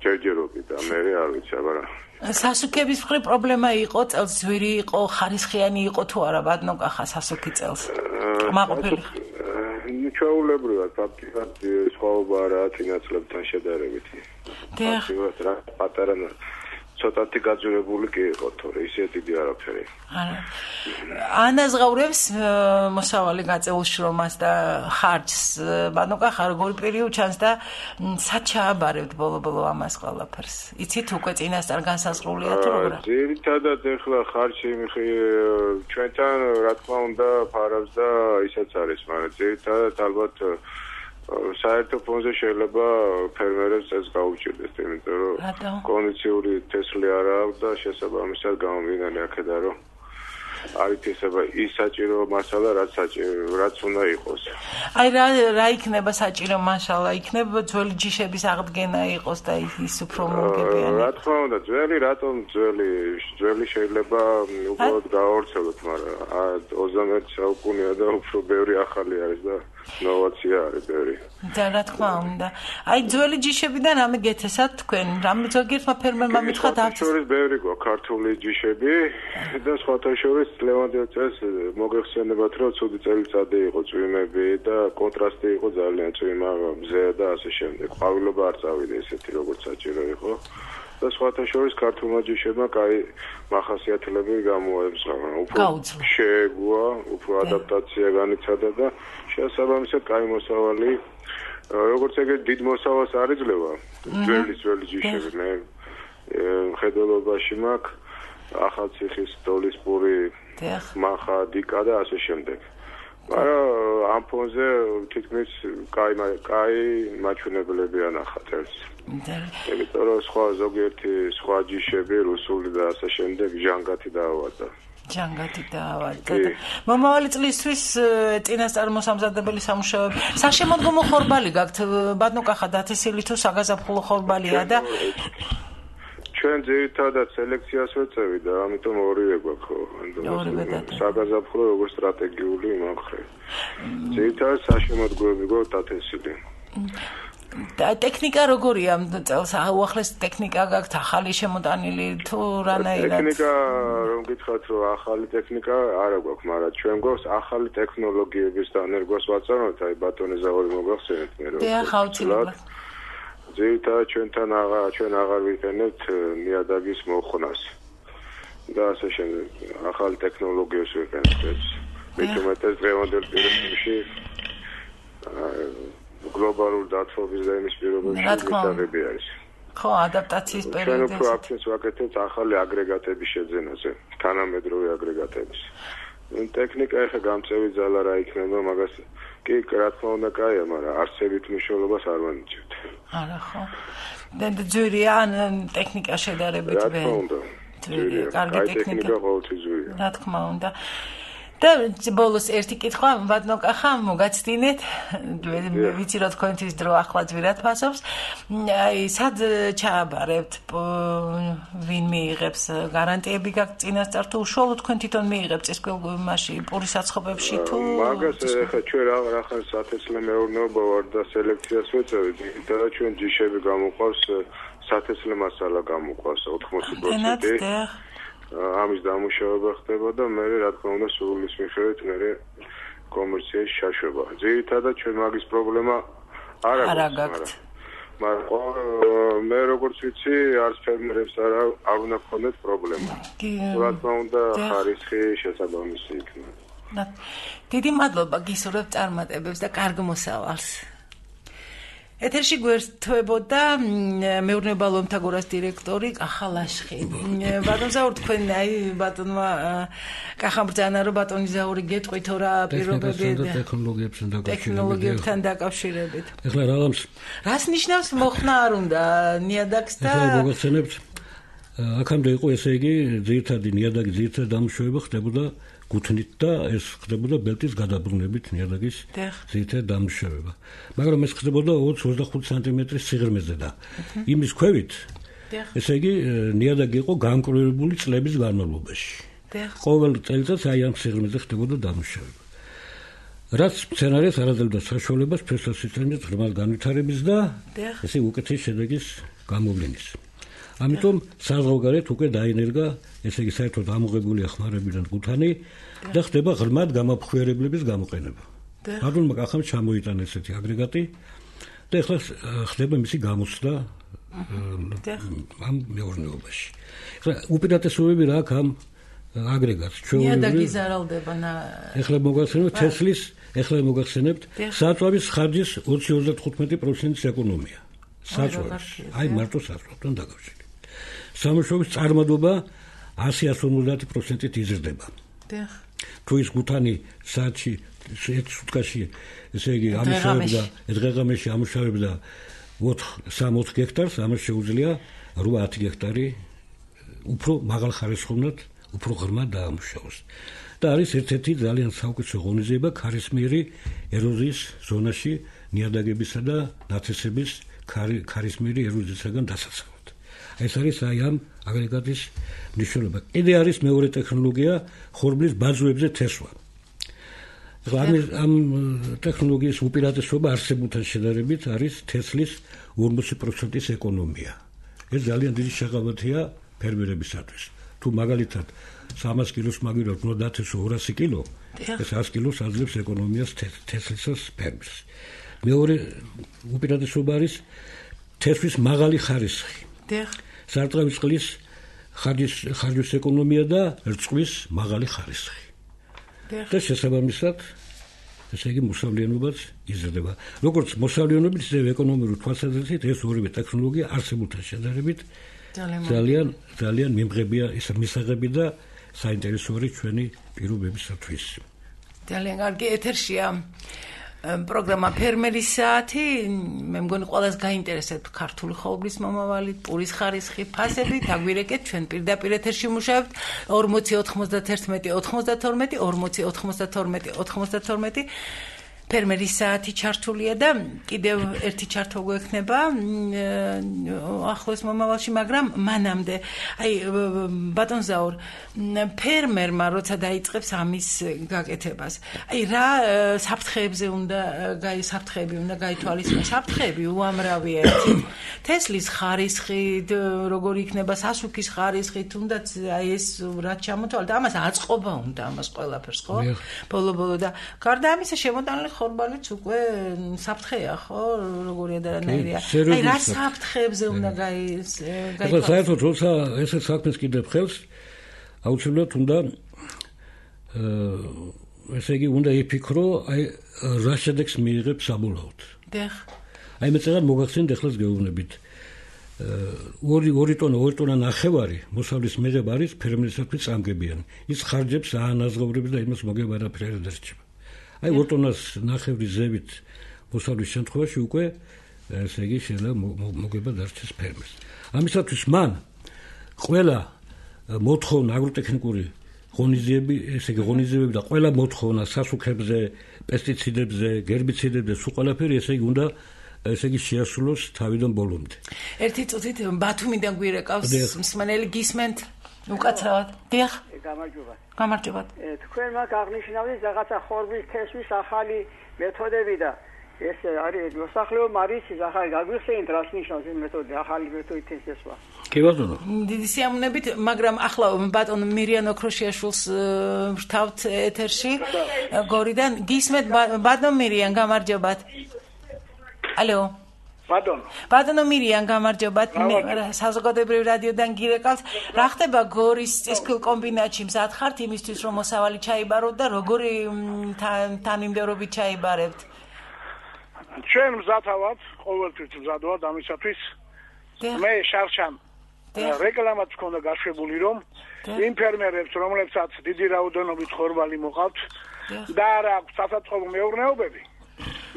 ჯერჯერობით და მე არ ვიცი, მაგრამ სასუქების მხრივ პრობლემა იყო, წელს ძვირი იყო, ხარისხიანი იყო თუ არა ბადნოკახა სასუქი წელს? მაყოფილი. ჩვეულებრივად ფაქტობრივად სხვაობა არაა წინა წლებთან შედარებით. ფაქტობრივად რა პატარა ცოტათი გაძვირებული კი იყო, თორე ისე დიდი არაფერი. ანაზღაურებს მოსავალი გაწეულ შრომას და ხარჯს, ბანოკახა როგორი პირი უჩანს და სად ჩააბარებთ ბოლო-ბოლო ამას ყველაფერს? იცით უკვე წინასწარ განსაზღვრულია თუ როგორ? ძირითადად ეხლა ხარჯი ჩვენთან რა თქმა უნდა ფარავს და ისაც არის, მაგრამ ძირითადად ალბათ საერთო ფონზე შეიძლება ფერმერებს ეს გაუჭირდეს, იმიტომ რომ კონდიციური თესლი არ აქვს და შესაბამისად გამომდინარე აქედან რომ არ ითესება ის საჭირო მასალა, რაც უნდა იყოს. აი რა იქნება საჭირო მასალა? იქნება ძველი ჯიშების აღდგენა იყოს და ის უფრო მოგებიანი. რა თქმა უნდა, რატომ ძველი შეიძლება უბრალოდ გააორცელოთ, მაგრამ 21 საუკუნეა და უფრო ბევრი ახალი არის და ნოვაცია არის ბევრი. და რა თქმა უნდა. აი ძველი ჯიშებიდან რამე გეთესათ თქვენ? რამე ზოგიერთმა ფერმერმა მითხრა დავწერთ. შორის ბევრი გვაქვს ქართული ჯიშები და სხვათა შორის ლევანდელ წელს მოგეხსენებათ, რომ ცუდი წელიწადი იყო, წვიმები და კონტრასტი იყო ძალიან წვიმა მზე და ასე შემდეგ. ყვავილობა არ წავიდა ესეთი როგორც საჭირო იყო. და სხვათა შორის ქართულმა ჯიშებმა კაი მახასიათებლები გამოაემსა, უფრო შეეგუა, უფრო ადაპტაცია განიცადა და შესაბამისად კაი მოსავალი, როგორც ეგეთ დიდ მოსავალს არ იძლევა ძველი ჯიშები. მე მხედველობაში მაქვს ახალციხის დოლისპური, მახა, დიკა და ასე შემდეგ. მაგრამ ამ ფონზე თითქმის კაი მაჩვენებლები ანახათ ერთ. იმიტომ რომ ზოგიერთი სხვა ჯიშები რუსული და ასე შემდეგ ჟანგათი დაავადდა. მომავალი წლისთვის წინასწარ მოსამზადებელი სამუშაოები. საშემოდგომო ხორბალი გაქვთ ბადნოკახა დათესილი თუ საგაზაფხულო ხორბალია და ჩვენ ძირითადად სელექციას ვეწევი და ამიტომ ორივე გვაქვს. საგაზაფხულო როგორც სტრატეგიული მომხრე. ძირითადად საშემოდგომები გვაქვს დათესილი. ტექნიკა როგორია წელს? უახლეს ტექნიკა გაქვთ ახალი შემოტანილი თუ რანაირად? ტექნიკა რომ გითხრათ რომ ახალი ტექნიკა არა გვაქვს, მაგრამ ჩვენ გვაქვს ახალი ტექნოლოგიების დანერგვას ვაწარმოებთ, აი ბატონი ზავარი მოგახსენეთ მე რომ. ძირითადად ჩვენ აღარ ვიყენებთ ნიადაგის მოხვნას და ასე შემდეგ. ახალი ტექნოლოგიებს ვიყენებთ ეს. მეტუმეტეს დღევანდელ პირობებში გლობალურ დათბობის და იმის პირობებში მისაღები არის. ხო, ადაპტაციის პერიოდი. ჩვენ უფრო აქცენტს ვაკეთებთ ახალი აგრეგატების შეძენაზე, თანამედროვე აგრეგატების. ტექნიკა ეხა გამწევი ძალა რა იქნება, მაგას კი რა თქმა უნდა კაია, მაგრამ არსებით მნიშვნელობას არ ვანიჭებთ. არა ხო. და ძვირია ან ტექნიკა შედარებით ვერ. რა თქმა უნდა. ძვირია, კარგი ტექნიკა ყოველთვის ძვირია. რა თქმა უნდა. და ბოლოს ერთი კითხვა ბადნოკახა მოგაცდინეთ. ვიცი რომ თქვენთვის დრო ახლა ძვირად ფასობს. აი სად ჩააბარებთ? ვინ მიიღებს გარანტიები გაქვთ წინასწარ თუ უშუალოდ თქვენ თვითონ მიიღებთ წისქვილმაში პურის საცხობებში თუ მაგას ეხა ჩვენ რახან სათესლე მეურნეობა ვარ და სელექციას ვეწევით და ჩვენ ჯიშები გამოყვავს სათესლე მასალა გამოყვავს 80%. ამის დამუშავება ხდება და მე რა თქმა უნდა სულის მიხედვით მე კომერციაში შაშობა. ძირითადად ჩვენ მაგის პრობლემა არ აქვს. მაგრამ მე როგორც ვიცი, არც ფერმერებს არ უნდა ქონდეთ პრობლემა. რა თქმა უნდა, ხარისხი შესაბამისი იქნება. დიდი მადლობა გისურვებთ წარმატებებს და კარგ მოსავალს. ეთერში გვერდთვებოდა მეურნეობა ლომთაგორას დირექტორი კახა ლაშხი. ბატონ ზაური, თქვენ ბატონმა კახამ ბრძანა, რომ ბატონი ზაური გეტყვით რა პირობები ტექნოლოგიებთან დაკავშირებით. ეხლა რას ნიშნავს მოხნა არ უნდა ნიადაგს და ეხლა მოგახსენებთ აქამდე იყო ესე იგი ძირითადი ნიადაგი ძირითადი დამუშავება ხდებოდა გუთნით და ეს ხდებოდა ბელტის გადაბრუნებით ნიადაგის ძირითადი დამუშავება. მაგრამ ეს ხდებოდა 20-25 სანტიმეტრის სიღრმეზე და იმის ქვევით ესე იგი ნიადაგი იყო გამკვლევებული წლების განმავლობაში. ყოველ წელიწადს აი ამ სიღრმეზე ხდებოდა დამუშავება. რაც სცენარეს არ აძლევდა საშუალებას ფესვასიტანის ღრმად განვითარების და ესე უკეთეს შედეგის გამოვლენის. ამიტომ საზღვარგარეთ უკვე დაინერგა ესე იგი საერთოდ ამოღებული ახმარებიდან გუთანი და ხდება ღრმად გამაფხვიარებლების გამოყენება. ბატონმა კახამ ჩამოიტანა ესეთი აგრეგატი და ეხლა ხდება მისი გამოცდა ამ მეურნეობაში. ეხლა უპირატესობები რა აქვს ამ აგრეგატს? ნიადაგი ზარალდება ეხლა მოგახსენებთ საწვავის ხარჯის 20-35%-ის ეკონომია. საწვავის, აი მარტო საწვავთან დაკავშირებით. სამუშაოების წარმადობა 100-150%-ით იზრდება. თუ ის გუთანი საათში სუთკაში ესე იგი ამუშავებდა დღეღამეში ამუშავებდა 3-4 გექტარს, ამას შეუძლია 8-10 გექტარი უფრო მაღალ ხარისხოვნად, უფრო ღრმად დაამუშავოს. და არის ერთ-ერთი ძალიან საუკეთესო ღონისძიება ქარისმიერი ეროზიის ზონაში ნიადაგებისა და ნათესების ქარისმიერი ეროზიისაგან დასაცავად. ეს არის აი ამ აგრეგატის მნიშვნელობა. კიდე არის მეორე ტექნოლოგია ხორბლის ბაძვებზე თესვა. ამ ტექნოლოგიის უპირატესობა არსებულთან შედარებით არის თესლის 40%-ის ეკონომია. ეს ძალიან დიდი შეღავათია ფერმერებისათვის. თუ მაგალითად 300 კილოს მაგივრად უნდა დათესო 200 კილო, ეს 100 კილოს აძლევს ეკონომიას თესლისას ფერმერს. მეორე უპირატესობა არის თესვის მაღალი ხარისხი. სარტყავის წყლის ხარჯის ეკონომია და რწყვის მაღალი ხარისხი. და შესაბამისად ესე იგი მოსავლიანობაც იზრდება. როგორც მოსავლიანობით, ისე ეკონომიური თვალსაზრისით ეს ორივე ტექნოლოგია არსებულთან შედარებით ძალიან მიმღებია ის მისაღები და საინტერესო არის ჩვენი პირობებისათვის. ძალიან კარგი ეთერშია პროგრამა ფერმერის საათი. მე მგონი ყველას გაინტერესებთ ქართული ხორბლის მომავალი, პურის ხარისხი, ფასები. დაგვირეკეთ ჩვენ პირდაპირ ეთერში მუშაობთ 40-91-92 ფერმერის საათი ჩართულია და კიდევ ერთი ჩართვა გვექნება ახლოს მომავალში, მაგრამ მანამდე აი ბატონ ზაურ, ფერმერმა როცა დაიწყებს ამის გაკეთებას, აი რა საფრთხეები უნდა გაითვალისწინოს. საფრთხეები უამრავია. თესლის ხარისხი, როგორი იქნება სასუქის ხარისხი, თუნდაც აი ეს რაც ჩამოთვალეთ, ამას აწყობა უნდა ამას ყველაფერს, ხო? ბოლო-ბოლო და გარდა ამისა შემოტანილი ხორბალიც უკვე საფრთხეა, ხო? როგორი ადარანაირია. აი რა საფრთხეებზე უნდა გაითვალისწინოს. საერთოდ როცა ესეც საქმეს კიდევ ხელს აუცილებლად უნდა ესე იგი უნდა იფიქრო აი რა შედეგს მიიღებს საბოლოოდ. აი მე წეგან მოგახსენეთ ახლაც გეუბნებით. 2 ტონა ნახევარი მოსავლის მიღება არის ფერმერისათვის წამგებიანი. ის ხარჯებს აანაზღაურებს და იმას მოგება არაფერი არ დარჩება. აი 2 ტონას ნახევრის ზევით მოსავლის შემთხვევაში უკვე ესე იგი შეიძლება მოგება დარჩეს ფერმერს. ამისათვის მან ყველა მოთხოვნა აგროტექნიკური ღონისძიებები, ესე იგი ღონისძიებები და ყველა მოთხოვნა სასუქებზე, პესტიციდებზე, გერბიციდებზე, სულ ყველაფერი ესე იგი უნდა ესე იგი შეასრულოს თავიდან ბოლომდე. ერთი წუთით ბათუმიდან გვირეკავს მსმენელი გისმენთ უკაცრავად. დიახ. გამარჯობა. თქვენ მაგ აღნიშნავთ რაღაცა ხორბლის თესვის ახალი მეთოდები და ეს არის მოსახლეობა მარიცის ახალი გაგვიხსენით რას ნიშნავს ეს მეთოდი, ახალი მეთოდი თესვა. კი ბატონო. დიდი სიამოვნებით, მაგრამ ახლა ბატონ მირიან ოქროშიაშვილს ვრთავთ ეთერში გორიდან. გისმენთ ბატონ მირიან, გამარჯობათ. ალო. ბატონო მირიან გამარჯობათ საზოგადოებრივ რადიოდან გირეკავთ რა ხდება გორის წისქვილ კომბინატში მზად ხართ იმისთვის რომ მოსავალი ჩაიბაროთ და როგორი თანმიმდევრობით ჩაიბარებთ ჩვენ მზად ავართ ყოველთვის მზად ვართ ამისათვის მე შარშან რეკლამაც ქონდა გაშვებული რომ იმ ფერმერებს რომლებსაც დიდი რაოდენობით ხორბალი მოყავთ და არა აქვს სასაწყობო მეურნეობები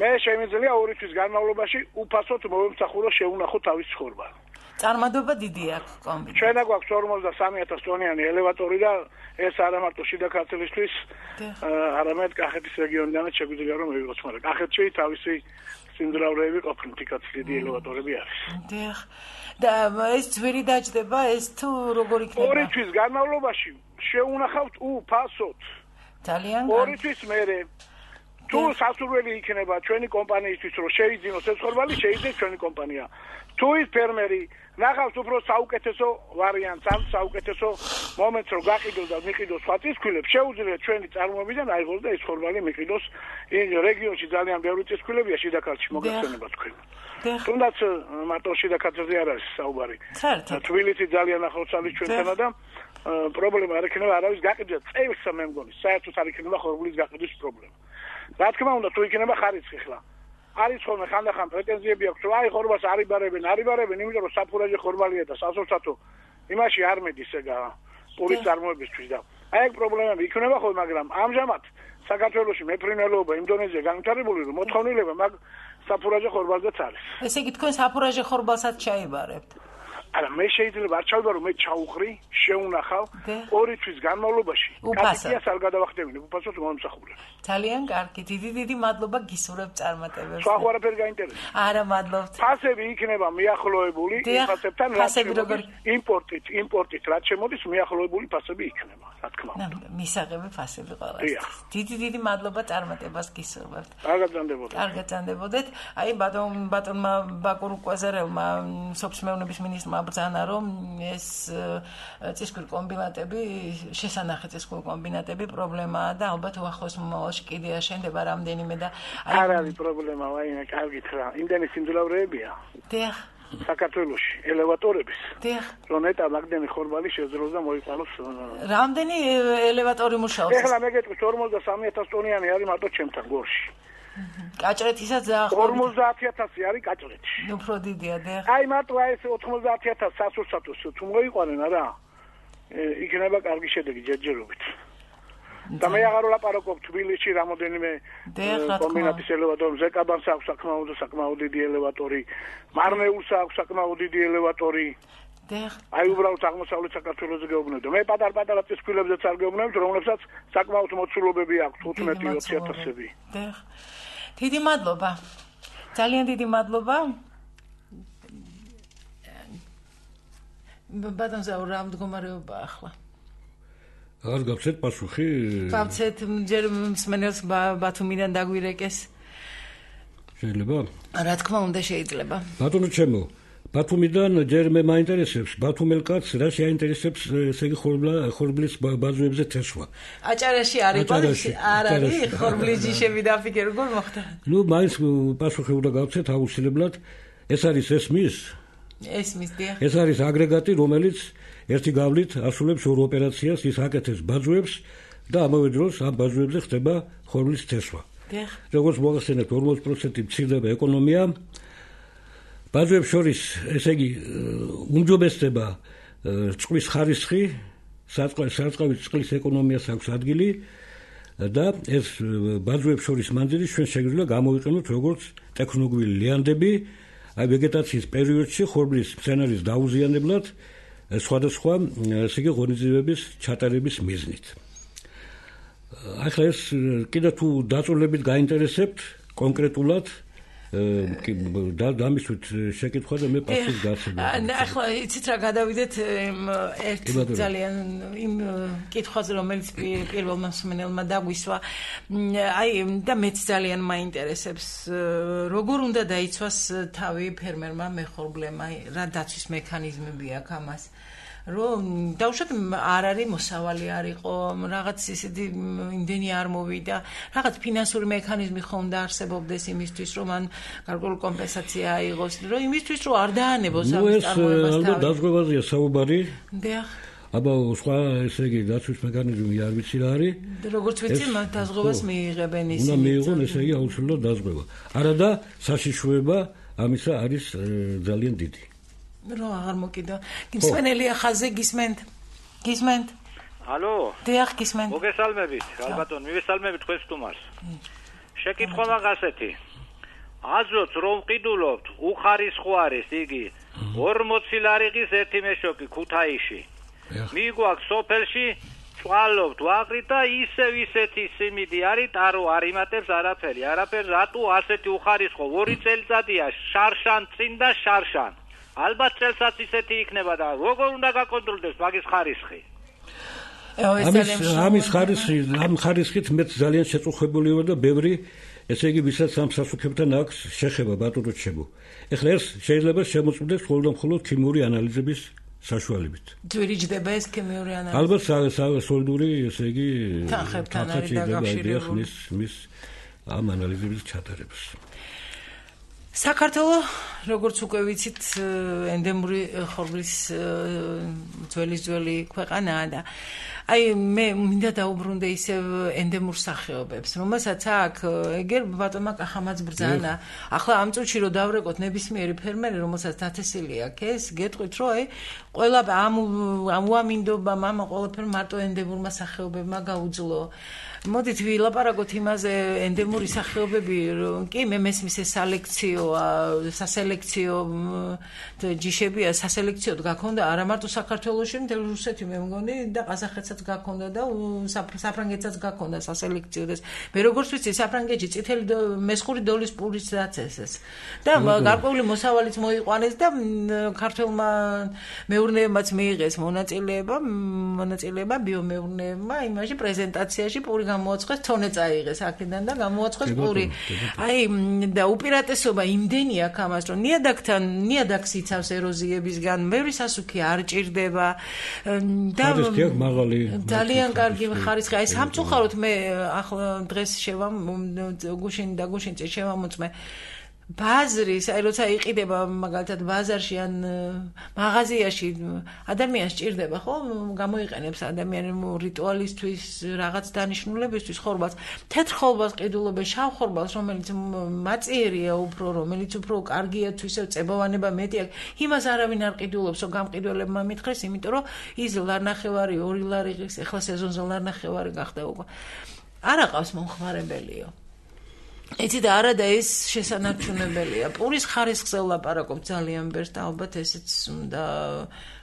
მე შემიძლია 2 თვის განმავლობაში უფასოდ მოვემსახურო შეუნახო თავის ხორბალი. წარმატება დიდი აქვს კომბინატი. ჩვენ გვაქვს 43000 ტონიანი ელევატორი და ეს არა მარტო შიდა ქართლისთვის, არამედ კახეთის რეგიონიდანაც შეგვიძლია რომ მივიღოთ, მაგრამ კახეთში თავისი სიმძლავრეები ყოფილი თიკაც დიდი ელევატორები არის. დიახ. და ეს ძვირი დაждდება, ეს თუ როგორ იქნება? 2 თვის განმავლობაში შეუნახავთ უფასოდ. ძალიან 2 თვის მერე თუ სასურველი იქნება ჩვენი კომპანიისთვის რომ შეიძინოს ეს ხორბალი, შეიძინოს ჩვენი კომპანია. თუ ის ფერმერი ნახავს უფრო საუკეთესო ვარიანტს, ან საუკეთესო მომენტს რომ გაყიდოს და მიყიდოს სხვა წისქვილებს, შეუძლია ჩვენი წარმოებიდან აიღოს და ეს ხორბალი მიყიდოს. იმ რეგიონში ძალიან ბევრი წისქვილებია შიდა ქართლში მოგეხსენება თქვენ. თუნდაც მარტო შიდა ქართლზე არ არის საუბარი. თბილისი ძალიან ახლოს არის ჩვენთანა და პრობლემა არ იქნება არავის გაყიდვა წელს მე მგონი, საერთოდ არ იქნება ხორბლის გაყიდვის პრობლემა. რა თქმა უნდა თუ იქნება ხარიცხი ხლა არის ხოლმე ხანდახან პრეტენზიები აქვს რომ აი ხორბალს არ იბარებენ იმიტომ რომ საფურაჟე ხორბალია და სასურსათო იმაში არ მედის ეგა პურის წარმოებისთვის და აი ეგ პრობლემები იქნება ხოლმე მაგრამ ამჟამად საქართველოში მეფრინველობა იმ დონეზე განვითარებული რომ მოთხოვნილება მაგ საფურაჟე ხორბალზეც არის ესე იგი თქვენ საფურაჟე ხორბალსაც ჩაიბარებთ არა მე შეიძლება არ ჩავიბარო მე ჩაუხრი შეუნახავ 2 თვის განმავლობაში კაპიტიას არ გადავახდებინე უფასოდ მომსახურე ძალიან კარგი დიდი მადლობა გისურვებ წარმატებებს სხვა არაფერი გაინტერესებს არა მადლობთ ფასები იქნება მიახლოებული ფასებთან იმპორტით რაც შემოდის მიახლოებული ფასები იქნება რა თქმა უნდა მისაღები ფასები ყველას დიდი მადლობა წარმატებას გისურვებთ კარგად გრძანდებოდეთ აი ბატონმა ბაკურ კვაზარელმა სოფლის მეურნეობის მინისტრმა ბრძანა რომ ეს წისქვილ კომბინატები შესანახი წისქვილ კომბინატები პრობლემაა და ალბათ უახლოეს მომავალში კიდე აშენდება რამდენიმე და არ არის პრობლემა ვაიმე კარგით რა იმდენი სიმძლავრეებია დიახ საქართველოში ელევატორების დიახ რომ ნეტა მაგდენი ხორბალი შეძლოს და მოიყვანოს რამდენი ელევატორი მუშაობს ეხლა მე გეტყვით 43000 ტონიანი არის მარტო ჩემთან გორში კაჭრეთისაც 50000 არის კაჭრეთში. უფრო დიდია და. აი მარტო აი ეს 90000 სასურსათოს თუ მოიყვანენ არა. იქნება კარგი შედეგი ჯერჯერობით. და მე აღარ ვლაპარაკობ თბილისში რამოდენიმე კომბინატის ელევატორი, ზეკაბანს აქვს საკმაოდ დიდი ელევატორი, მარნეულს აქვს საკმაოდ დიდი ელევატორი. აი უბრალოდ აღმოსავლეთ საქართველოზე გეუბნები. მე პატარ-პატარა წისქვილებზეც არ გეუბნებით, რომლებსაც საკმაოდ მოცულობები აქვს 15-20000-ები. დიდი მადლობა. ძალიან დიდი მადლობა. ბატონ ზაურ რა მდგომარეობა ახლა? არ გავცეთ პასუხი? გავცეთ ჯერ მსმენელს ბათუმიდან დაგვირეკეს. შეიძლება? რა თქმა უნდა შეიძლება. ბატონო ჩემო ბათუმიდან ჯერ მე მაინტერესებს ბათუმელ კაცს რა შეაინტერესებს ესე იგი ხორბლის ბაზოებზე თესვა. აჭარაში არ არის ხორბლის ჯიშები დაფიქე როგორ მოხდა? ნუ მაინც პასუხი უნდა გავცეთ აუცილებლად ეს არის ესმის დიახ. ეს არის აგრეგატი რომელიც ერთი გავლით ასრულებს ორ ოპერაციას ის აკეთებს ბაზოებს და ამავე დროს ამ ბაზოებზე ხდება ხორბლის თესვა. დიახ. როგორც მოგახსენებთ 40% მცირდება ეკონომია ბაზოებს შორის ესე იგი უმჯობესდება წყლის ხარისხი, სარწყავი წყლის ეკონომიას აქვს ადგილი და ეს ბაზოებს შორის მანძილი ჩვენ შეგვიძლია გამოვიყენოთ როგორც ტექნოგენური ლიანდები, აი ვეგეტაციის პერიოდში ხორბლის მცენარის დაუზიანებლად სხვადასხვა ესე იგი ღონისძიებების ჩატარების მიზნით. ახლა ეს კიდე თუ დაწვრილებით გაინტერესებთ კონკრეტულად დამისვით შეკითხვა და მე პასუხს გაცემ. ახლა იცით რა გადავიდეთ ერთ ძალიან იმ კითხვაზე რომელიც პირველმა მსმენელმა დაგვისვა. აი და მეც ძალიან მაინტერესებს როგორ უნდა დაიცვას თავი ფერმერმა მეხორბლემა რა დაცვის მექანიზმები აქვს ამას. რომ დავუშვათ არ არის მოსავალი არ იყო, რაღაც ისეთი იმდენი არ მოვიდა, რაღაც ფინანსური მექანიზმი ხომ დაარსებობდეს იმისთვის, რომ ან გარკვეული კომპენსაცია აიღოს, რომ იმისთვის, რომ არ დაანებოს ამ წარმოებას. ალბათ დაზღვევაზეა საუბარი. დიახ. აბა სხვა ესე იგი დაცვის მექანიზმი არ ვიცი რა არის. როგორც ვიცი, მათ დაზღვევას მიიღებენ ისინი. უნდა მიიღონ ესე იგი აუცილებლად დაზღვევა. არა და საშიშროება ამისა არის ძალიან დიდი. რო აღარ მოკიდა. გისმენელია ხაზე გისმენთ? ალო? დიახ, გისმენთ. მოგესალმებით, ალბათონ, მივესალმებით თქვენ სტუმარს. შეკითხვა მაგასეთი. აზრობთ რომ ყიდულობთ, უხარისხო არის იგი 40 ლარიღის ერთი მეშოკი ქუთაისში. მიგვაქვს სოფელში წვალობთ ვაღრით და ისევ ისეთი სიმინდი არის, ტარო არ იმატებს არაფერი, რატო ასეთი უხარისხო 2 წელიწადია შარშან წინ და შარშან. ალბათ წელსაც ისეთი იქნება და როგორ უნდა გაკონტროლდეს მაგის ხარისხი? ამ ხარისხით მე ძალიან შეწუხებული ვარ და ბევრი ესე იგი ვისაც ამ სასუქებთან აქვს შეხება ბატონო ჩემო. ეხლა ეს შეიძლება შემოწმდეს მხოლოდ და მხოლოდ ქიმიური ანალიზების საშუალებით. ძვირიჯდება ეს ქიმიური ანალიზი? ალბათ სოლიდური ესე იგი თანხებთან არის დაკავშირებული მის ამ ანალიზების ჩატარებას. საქართველო, როგორც უკვე ვიცით, ენდემური ხორბლის ძველი ქვეყანაა და აი მე მინდა დაუბრუნდე ისევ ენდემურ სახეობებს, რომელსაც აქ ეგერ ბატონმა კახამაც ბრძანა. ახლა ამ წუთში რომ დავრეკოთ ნებისმიერი ფერმერი, რომელსაც დათესილი აქვს ეს, გეტყვით რომ აი ყველა ამ უამინდობამ ამ ყველაფერ მარტო ენდემურმა სახეობებმა გაუძლო. მოდით ვილაპარაკოთ იმაზე ენდემური სახეობები, კი მე მესმის ეს სასელექციო ჯიშებია, სასელექციოდ გაქონდა არა მარტო საქართველოში, მთელ რუსეთი მე მგონი და ყაზახეთსაც გაქონდა და საფრანგეთსაც გაქონდა სასელექციოდ ეს. მე როგორც ვიცი, საფრანგეთში წითელი მესხური დოლის პურის დაწესეს. და გარკვეული მოსავალიც მოიყვანეს და ქართველმა მეურნეებმაც მიიღეს მონაწილეება ბიომეურნეებმა იმაში პრეზენტაციაში პური გამოაცხეს, თონე წაიღეს აქედან და გამოაცხეს პური. აი და უპირატესობა იმდენი აქვს ამას, რომ ნიადაგს იცავს ეროზიებისგან, ბევრი სასუქი არ ჭირდება და ძალიან კარგი ხარისხი. აი სამწუხაროდ მე ახლა დღეს გუშინ შევამოწმე ბაზრის, აი როცა იყიდება მაგალითად ბაზარში ან მაღაზიაში ადამიანს ჭირდება, ხო? გამოიყენებს ადამიანი რიტუალისთვის, რაღაც დანიშნულებისთვის ხორბალს. თეთრ ხორბალს ყიდულობენ, შავ ხორბალს, რომელიც მაწიერია უფრო, რომელიც უფრო კარგია თუ ისევ წებოვანება მეტი აქვს. იმას არავინ არ ყიდულობს, რომ გამყიდველებმა მითხრეს, იმიტომ რომ ის ლარნახევარი 2 ლარიღის, ახლა სეზონზე ლარნახევარი გახდა უკვე. არ აყავს მომხმარებელიო. იცი და არა და ეს შესანარჩუნებელია. პურის ხარისხზე ვლაპარაკობ ძალიან ბევრს და ალბათ ესეც უნდა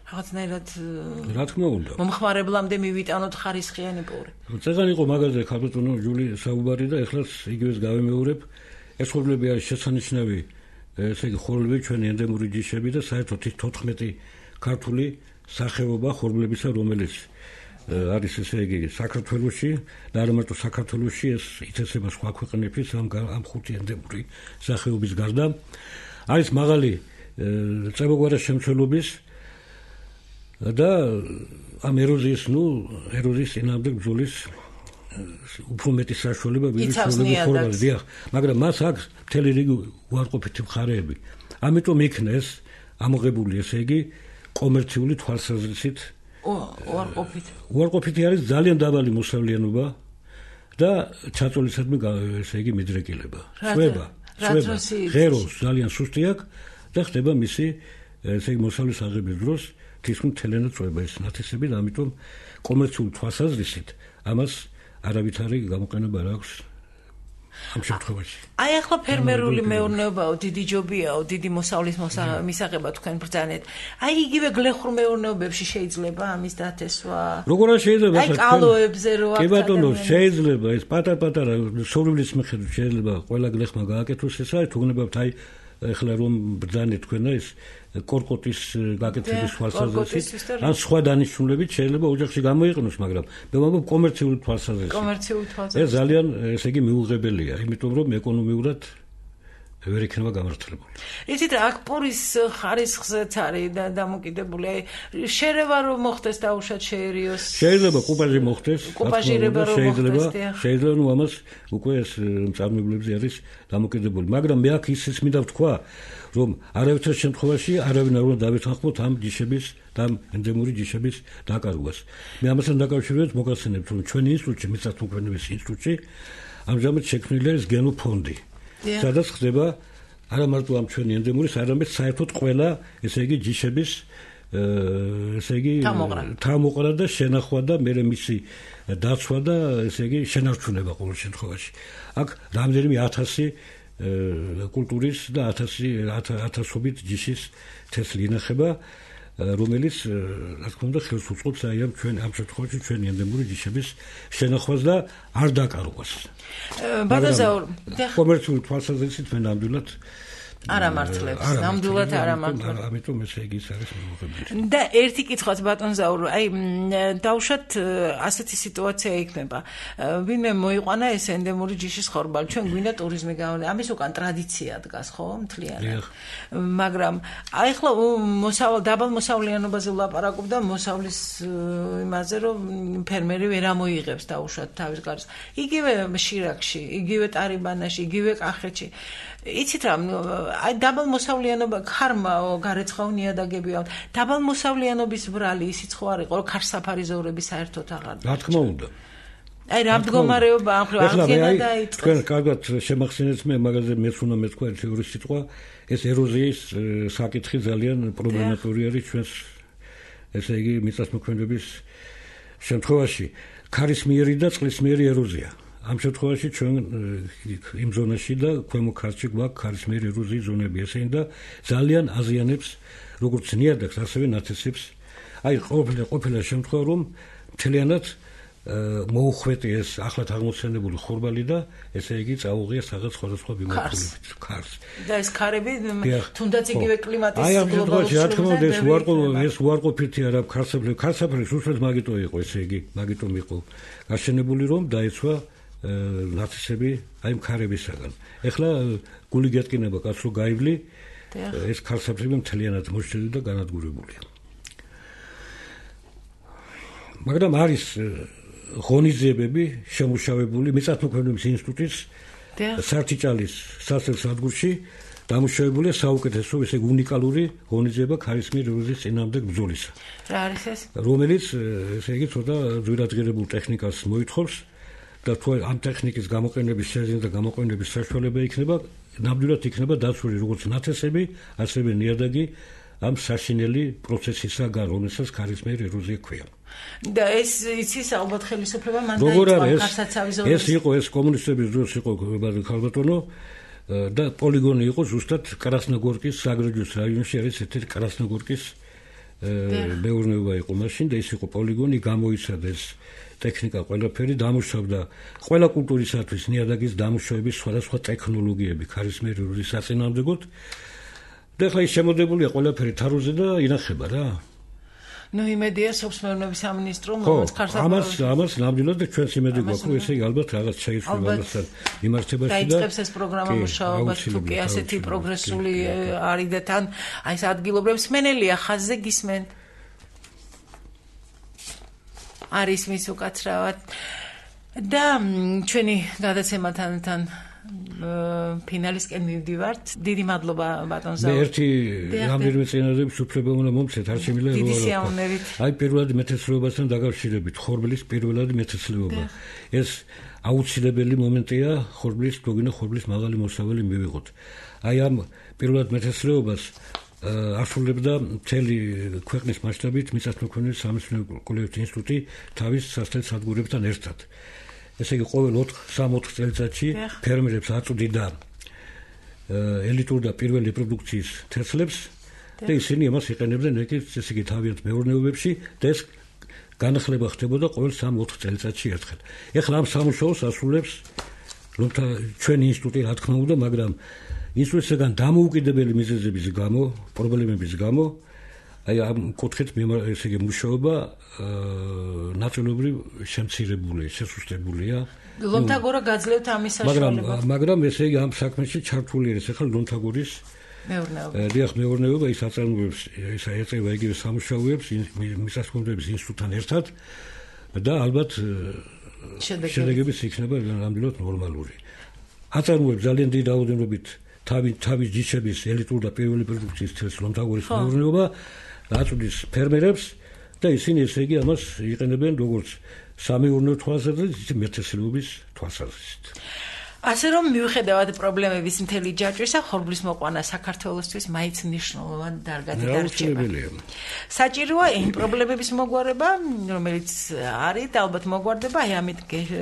რაღაცნაირად რა თქმა უნდა მომხმარებლამდე მივიტანოთ ხარისხიანი პური. წეგანი იყო მაგაზე ქალბატონო ჯული საუბარი და ეხლაც იგივეს გავემეორებ. ეს ხორბლები არის შესანიშნავი, ესე იგი ხორბლები ჩვენი ენდემური ჯიშები და საერთოდ 14 ქართული სახეობა ხორბლებისა, რომელიც არის ესე იგი საქართველოში და არა მარტო საქართველოში, ეს ითესება სხვა ქვეყნებშიც ამ 5 ენდემური სახეობის გარდა. არის მაღალი წებოგვარა შემცველობის და ამ ეროზიის წინააღმდეგ ბრძოლის უფრო მეტი საშუალება ვიდრე ხორბალს, დიახ, მაგრამ მას აქვს მთელი რიგი უარყოფითი მხარეები. ამიტომ იქნა ეს ამოღებული, ესე იგი კომერციული თვალსაზრისით უარყოფითი არის ძალიან დაბალი მოსავლიანობა და ჩაწოლისადმი ესე იგი მიდრეკილება. შვება, ღეროს ძალიან სუსტი აქვს და ხდება მისი ესე იგი მოსავლის აღების დროს თითქმის მთლიანად წვება ეს ნათესები და ამიტომ კომერციული თვალსაზრისით ამას არავითარი გამოყენება არ აქვს ამ შემთხვევაში. აი ახლა ფერმერული მეურნეობაო, დიდი ჯობიაო, დიდი მოსავლის მისაღება თქვენ ბრძანეთ. აი იგივე გლეხურ მეურნეობებში შეიძლება ამის დათესვა? როგორ არ შეიძლება? აი კალოებზე რო კი ბატონო, შეიძლება ეს პატარ-პატარა სოვლის მიხედვით შეიძლება ყველა გლეხმა გააკეთოს ეს არის თუნებავთ აი ეხლა რომ ბრძანეთ თქვენა ეს კორკოტის გაკეთების თვალსაზრისით ან სხვა დანიშნულებით შეიძლება ოჯახში გამოიყენოს, მაგრამ მე ვამბობ კომერციული თვალსაზრისით. ეს ძალიან ესე იგი მიუღებელია, იმიტომ რომ ეკონომიურად ვერ იქნება გამართლებული. იცით რა, აქ პურის ხარისხზეც არის დამოკიდებული. შერევა რომ მოხდეს დაუშვათ შეერიოს. შეიძლება კუპაჟი მოხდეს, კუპაჟირება რომ მოხდეს. შეიძლება ნუ ამას უკვე ეს მწარმოებლებზე არის დამოკიდებული. მაგრამ მე აქ ისიც მინდა ვთქვა, რომ არავითარ შემთხვევაში არავინ არ უნდა დავეთანხმოთ ამ ჯიშების და ამ ენდემური ჯიშების დაკარგვას. მე ამასთან დაკავშირებით მოგახსენებთ, რომ ჩვენი ინსტიტუტში, მიწათმოქმედების ინსტიტუტში ამჟამად შექმნილი არის გენოფონდი. სადაც ხდება არა მარტო ამ ჩვენი ენდემურის, არამედ საერთოდ ყველა, ესე იგი ჯიშების ესე იგი თავმოყრა და შენახვა და მე მისი დაცვა და ესე იგი შენარჩუნება ყოველ შემთხვევაში. აქ რამდენიმე 1000 კულტურის და 1000-ობით ჯიშის თესლი ინახება, რომელიც რა თქმა უნდა ხელს უწყობს აი ამ შემთხვევაში ჩვენი ენდემური ჯიშების შენახვას და არ დაკარგვას. ბატონზაურ, კომერციული თვალსაზრისით მე ნამდვილად არ ამართლებს, ნამდვილად არ ამართლებს. ამიტომ ესე იგი ის არის მოუღებელი. და ერთი კითხვაც ბატონზაურ, აი დავუშვათ ასეთი სიტუაცია იქნება. ვინმე მოიყვანა ეს ენდემური ჯიშის ხორბალი, ჩვენ გვინდა ტურიზმი გავანე. ამის უკან ტრადიცია დგას, ხო, მთლიანად. მაგრამ აი ახლა დაბალ მოსავლიანობაზე ვლაპარაკობ და მოსავლის იმაზე, რომ ფერმერი ვერ ამოიღებს დავუშვათ თავის გარს. იგივე შირაკში, იგივე ტარიბანაში, იგივე კახეთში. იცით რა, აი დაბალ მოსავლიანობა ქარმა გარეცხაო ნიადაგებია. დაბალ მოსავლიანობის ბრალი ისიც ხო არ იყო, რომ ქარსაფარი ზოვრები საერთოდ აღარ. რა თქმა უნდა. აი რა მდგომარეობა ამ ხრივ აღდგენა დაიწყეს. თქვენ კარგად შემახსენეთ მე მაგაზე მეც უნდა მეთქვა ერთი ორი სიტყვა. ეს ეროზიის საკითხი ძალიან პრობლემატური არის ჩვენს ესე იგი მიწათმოქმედების შემთხვევაში. ქარისმიერი და წყლისმიერი ეროზია. ამ შემთხვევაში ჩვენ იმ ზონაში და ქვემო ქართლში გვაქვს ქარისმიერი ეროზიის ზონები, ესენი და ძალიან აზიანებს როგორც ნიადაგს, ასევე ნათესებს. აი ყოფილა შემთხვევა, რომ მთლიანად მოუხვეტი ეს ახლად აღმოცენებული ხორბალი და ესე იგი წაუღია რაღაც სხვადასხვა ბიმოქმედებით ქარს. და ეს ქარები თუნდაც იგივე კლიმატის აი ამ შემთხვევაში რა თქმა უნდა ეს უარყოფითი არა ქარსაფრის უსწრებს მაგიტო იყო, ესე იგი მაგიტომ იყო გაშენებული, რომ დაეცვა ნათესები აი ქარებისაგან. ეხლა გული გეტკინება კაცო გაივლი, ეს ქარსაფრები მთლიანად მოშლილი და განადგურებულია. მაგრამ არის ღონისძიებები შემუშავებული მიწათმოქმედების ინსტიტუტის სართიჭალის სასწავლო დამუშავებულია საუკეთესო ესე უნიკალური ღონისძიება ქარისმიერ ეროზიის წინააღმდეგ ბრძოლისა. რა არის ეს? რომელიც ესე იგი ცოტა ძვირადღირებულ ტექნიკას მოითხოვს და თუ ამ ტექნიკის გამოყენების შეძენა და გამოყენების საშუალება იქნება, ნამდვილად იქნება დაცული როგორც ნათესები, ასევე ნიადაგი ამ საშინელი პროცესისაგან, რომელსაც ქარისმიერი ეროზია ქვია. და ეს იცის ალბათ ხელისუფლება მან დაიწყო ქარსაცავის ზონაში. ეს იყო ეს კომუნისტების დროს იყო ქალბატონო და პოლიგონი იყო ზუსტად კრასნოგორკის საგრეჯოს რაიონში არის ერთ-ერთი კრასნოგორკის მეურნეობა იყო მაშინ და ის იყო პოლიგონი, გამოიცადა ეს ტექნიკა ყველაფერი, დამუშავდა ყველა კულტურისათვის ნიადაგის დამუშავების სხვადასხვა ტექნოლოგიები ქარისმიერი ეროზიის საწინააღმდეგოდ. და ახლა ის შემოდებულია ყველაფერი თაროზე და ინახება რა. ნუ იმედია სოფსმეურნეობის სამინისტრო რომელიც ქარსაფარს ამას ნამდვილად ჩვენს იმედი გვაქვს, რომ ესე იგი ალბათ რაღაც შეიცვლება ამასთან მიმართებაში და დაიწყებს ეს პროგრამა მუშაობა, თუ კი ასეთი პროგრესული არის და თან აი ეს ადგილობრივ მსმენელია ხაზზე გისმენ. არის მის უკაცრავად და ჩვენი გადაცემათან ფინალისკენ მივდივართ. დიდი მადლობა ბატონზაურ. მე ერთი რამდენიმე წინადადების უფლება უნდა მომცეთ, არ შემიძლია დიდი სიამოვნებით. აი პირველად მეთესლეობასთან დაკავშირებით, ხორბლის პირველად მეთესლეობა. ეს აუცილებელი მომენტია ხორბლის, თუგინა ხორბლის მაღალი მოსავალი მივიღოთ. აი ამ პირველად მეთესლეობას ასრულებდა მთელი ქვეყნის მასშტაბით მიწათმოქმედების სამეცნიერო კვლევების ინსტიტუტი თავის სასწავლო სადგურებთან ერთად. ესე იგი ყოველ 3-4 წელიწადში ფერმერებს აწვდიდა ელიტურ და პირველ რეპროდუქციის თესლებს და ისინი ამას იყენებდნენ ესე იგი თავიანთ მეურნეობებში და ეს განახლება ხდებოდა ყოველ 3-4 წელიწადში ერთხელ. ეხლა ამ სამუშაოს ასრულებს ჩვენი ინსტიტუტი რა თქმა უნდა, მაგრამ ინსტიტუტისგან დამოუკიდებელი მიზეზების გამო, პრობლემების გამო აი ამ კუთხით ესე იგი მუშაობა ნაწილობრივ შემცირებულია, შესუსტებულია. ლომთაგორა გაძლევთ ამის საშუალებას. მაგრამ ესე იგი ამ საქმეში ჩართული არის ახლა ლომთაგორის მეურნეობა ის აწარმოებს ეწევა იგივე სამუშაოებს მისასალმებლების ინსტიტუტთან ერთად და ალბათ შედეგებიც იქნება ნამდვილად ნორმალური. აწარმოებს ძალიან დიდი რაოდენობით თავის ჯიშების ელიტურ და პირველი პროდუქციის თელს ლომთაგორის მეურნეობა აწვდის ფერმერებს და ისინი ესე იგი ამას იყენებენ როგორც სამეურნეო თვალსაზრისით, მეთესლობის თვალსაზრისით. ასე რომ მივხვდებით პრობლემების მთელი ჯაჭვისა, ხორბლის მოყვანა საქართველოსთვის მაინც მნიშვნელოვანი დარგად დარჩება. საჭიროა იმ პრობლემების მოგვარება, რომელიც არის და ალბათ მოგვარდება აი ამით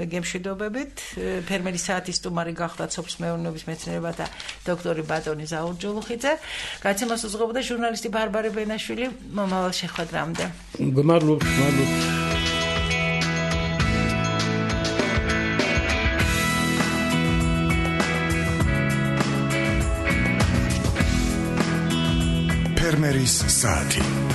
გემშვიდობებით. ფერმერის საათის სტუმარი გახდათ სოფლის მეურნეობის მეცნიერებათა დოქტორი ბატონი ზაურჯოლუხიძე. გაცემას უძღვებოდა ჟურნალისტი ბარბარე ბენაშვილი. მომავალ შეხვედრამდე. გმადლობთ. ფერმერის საათი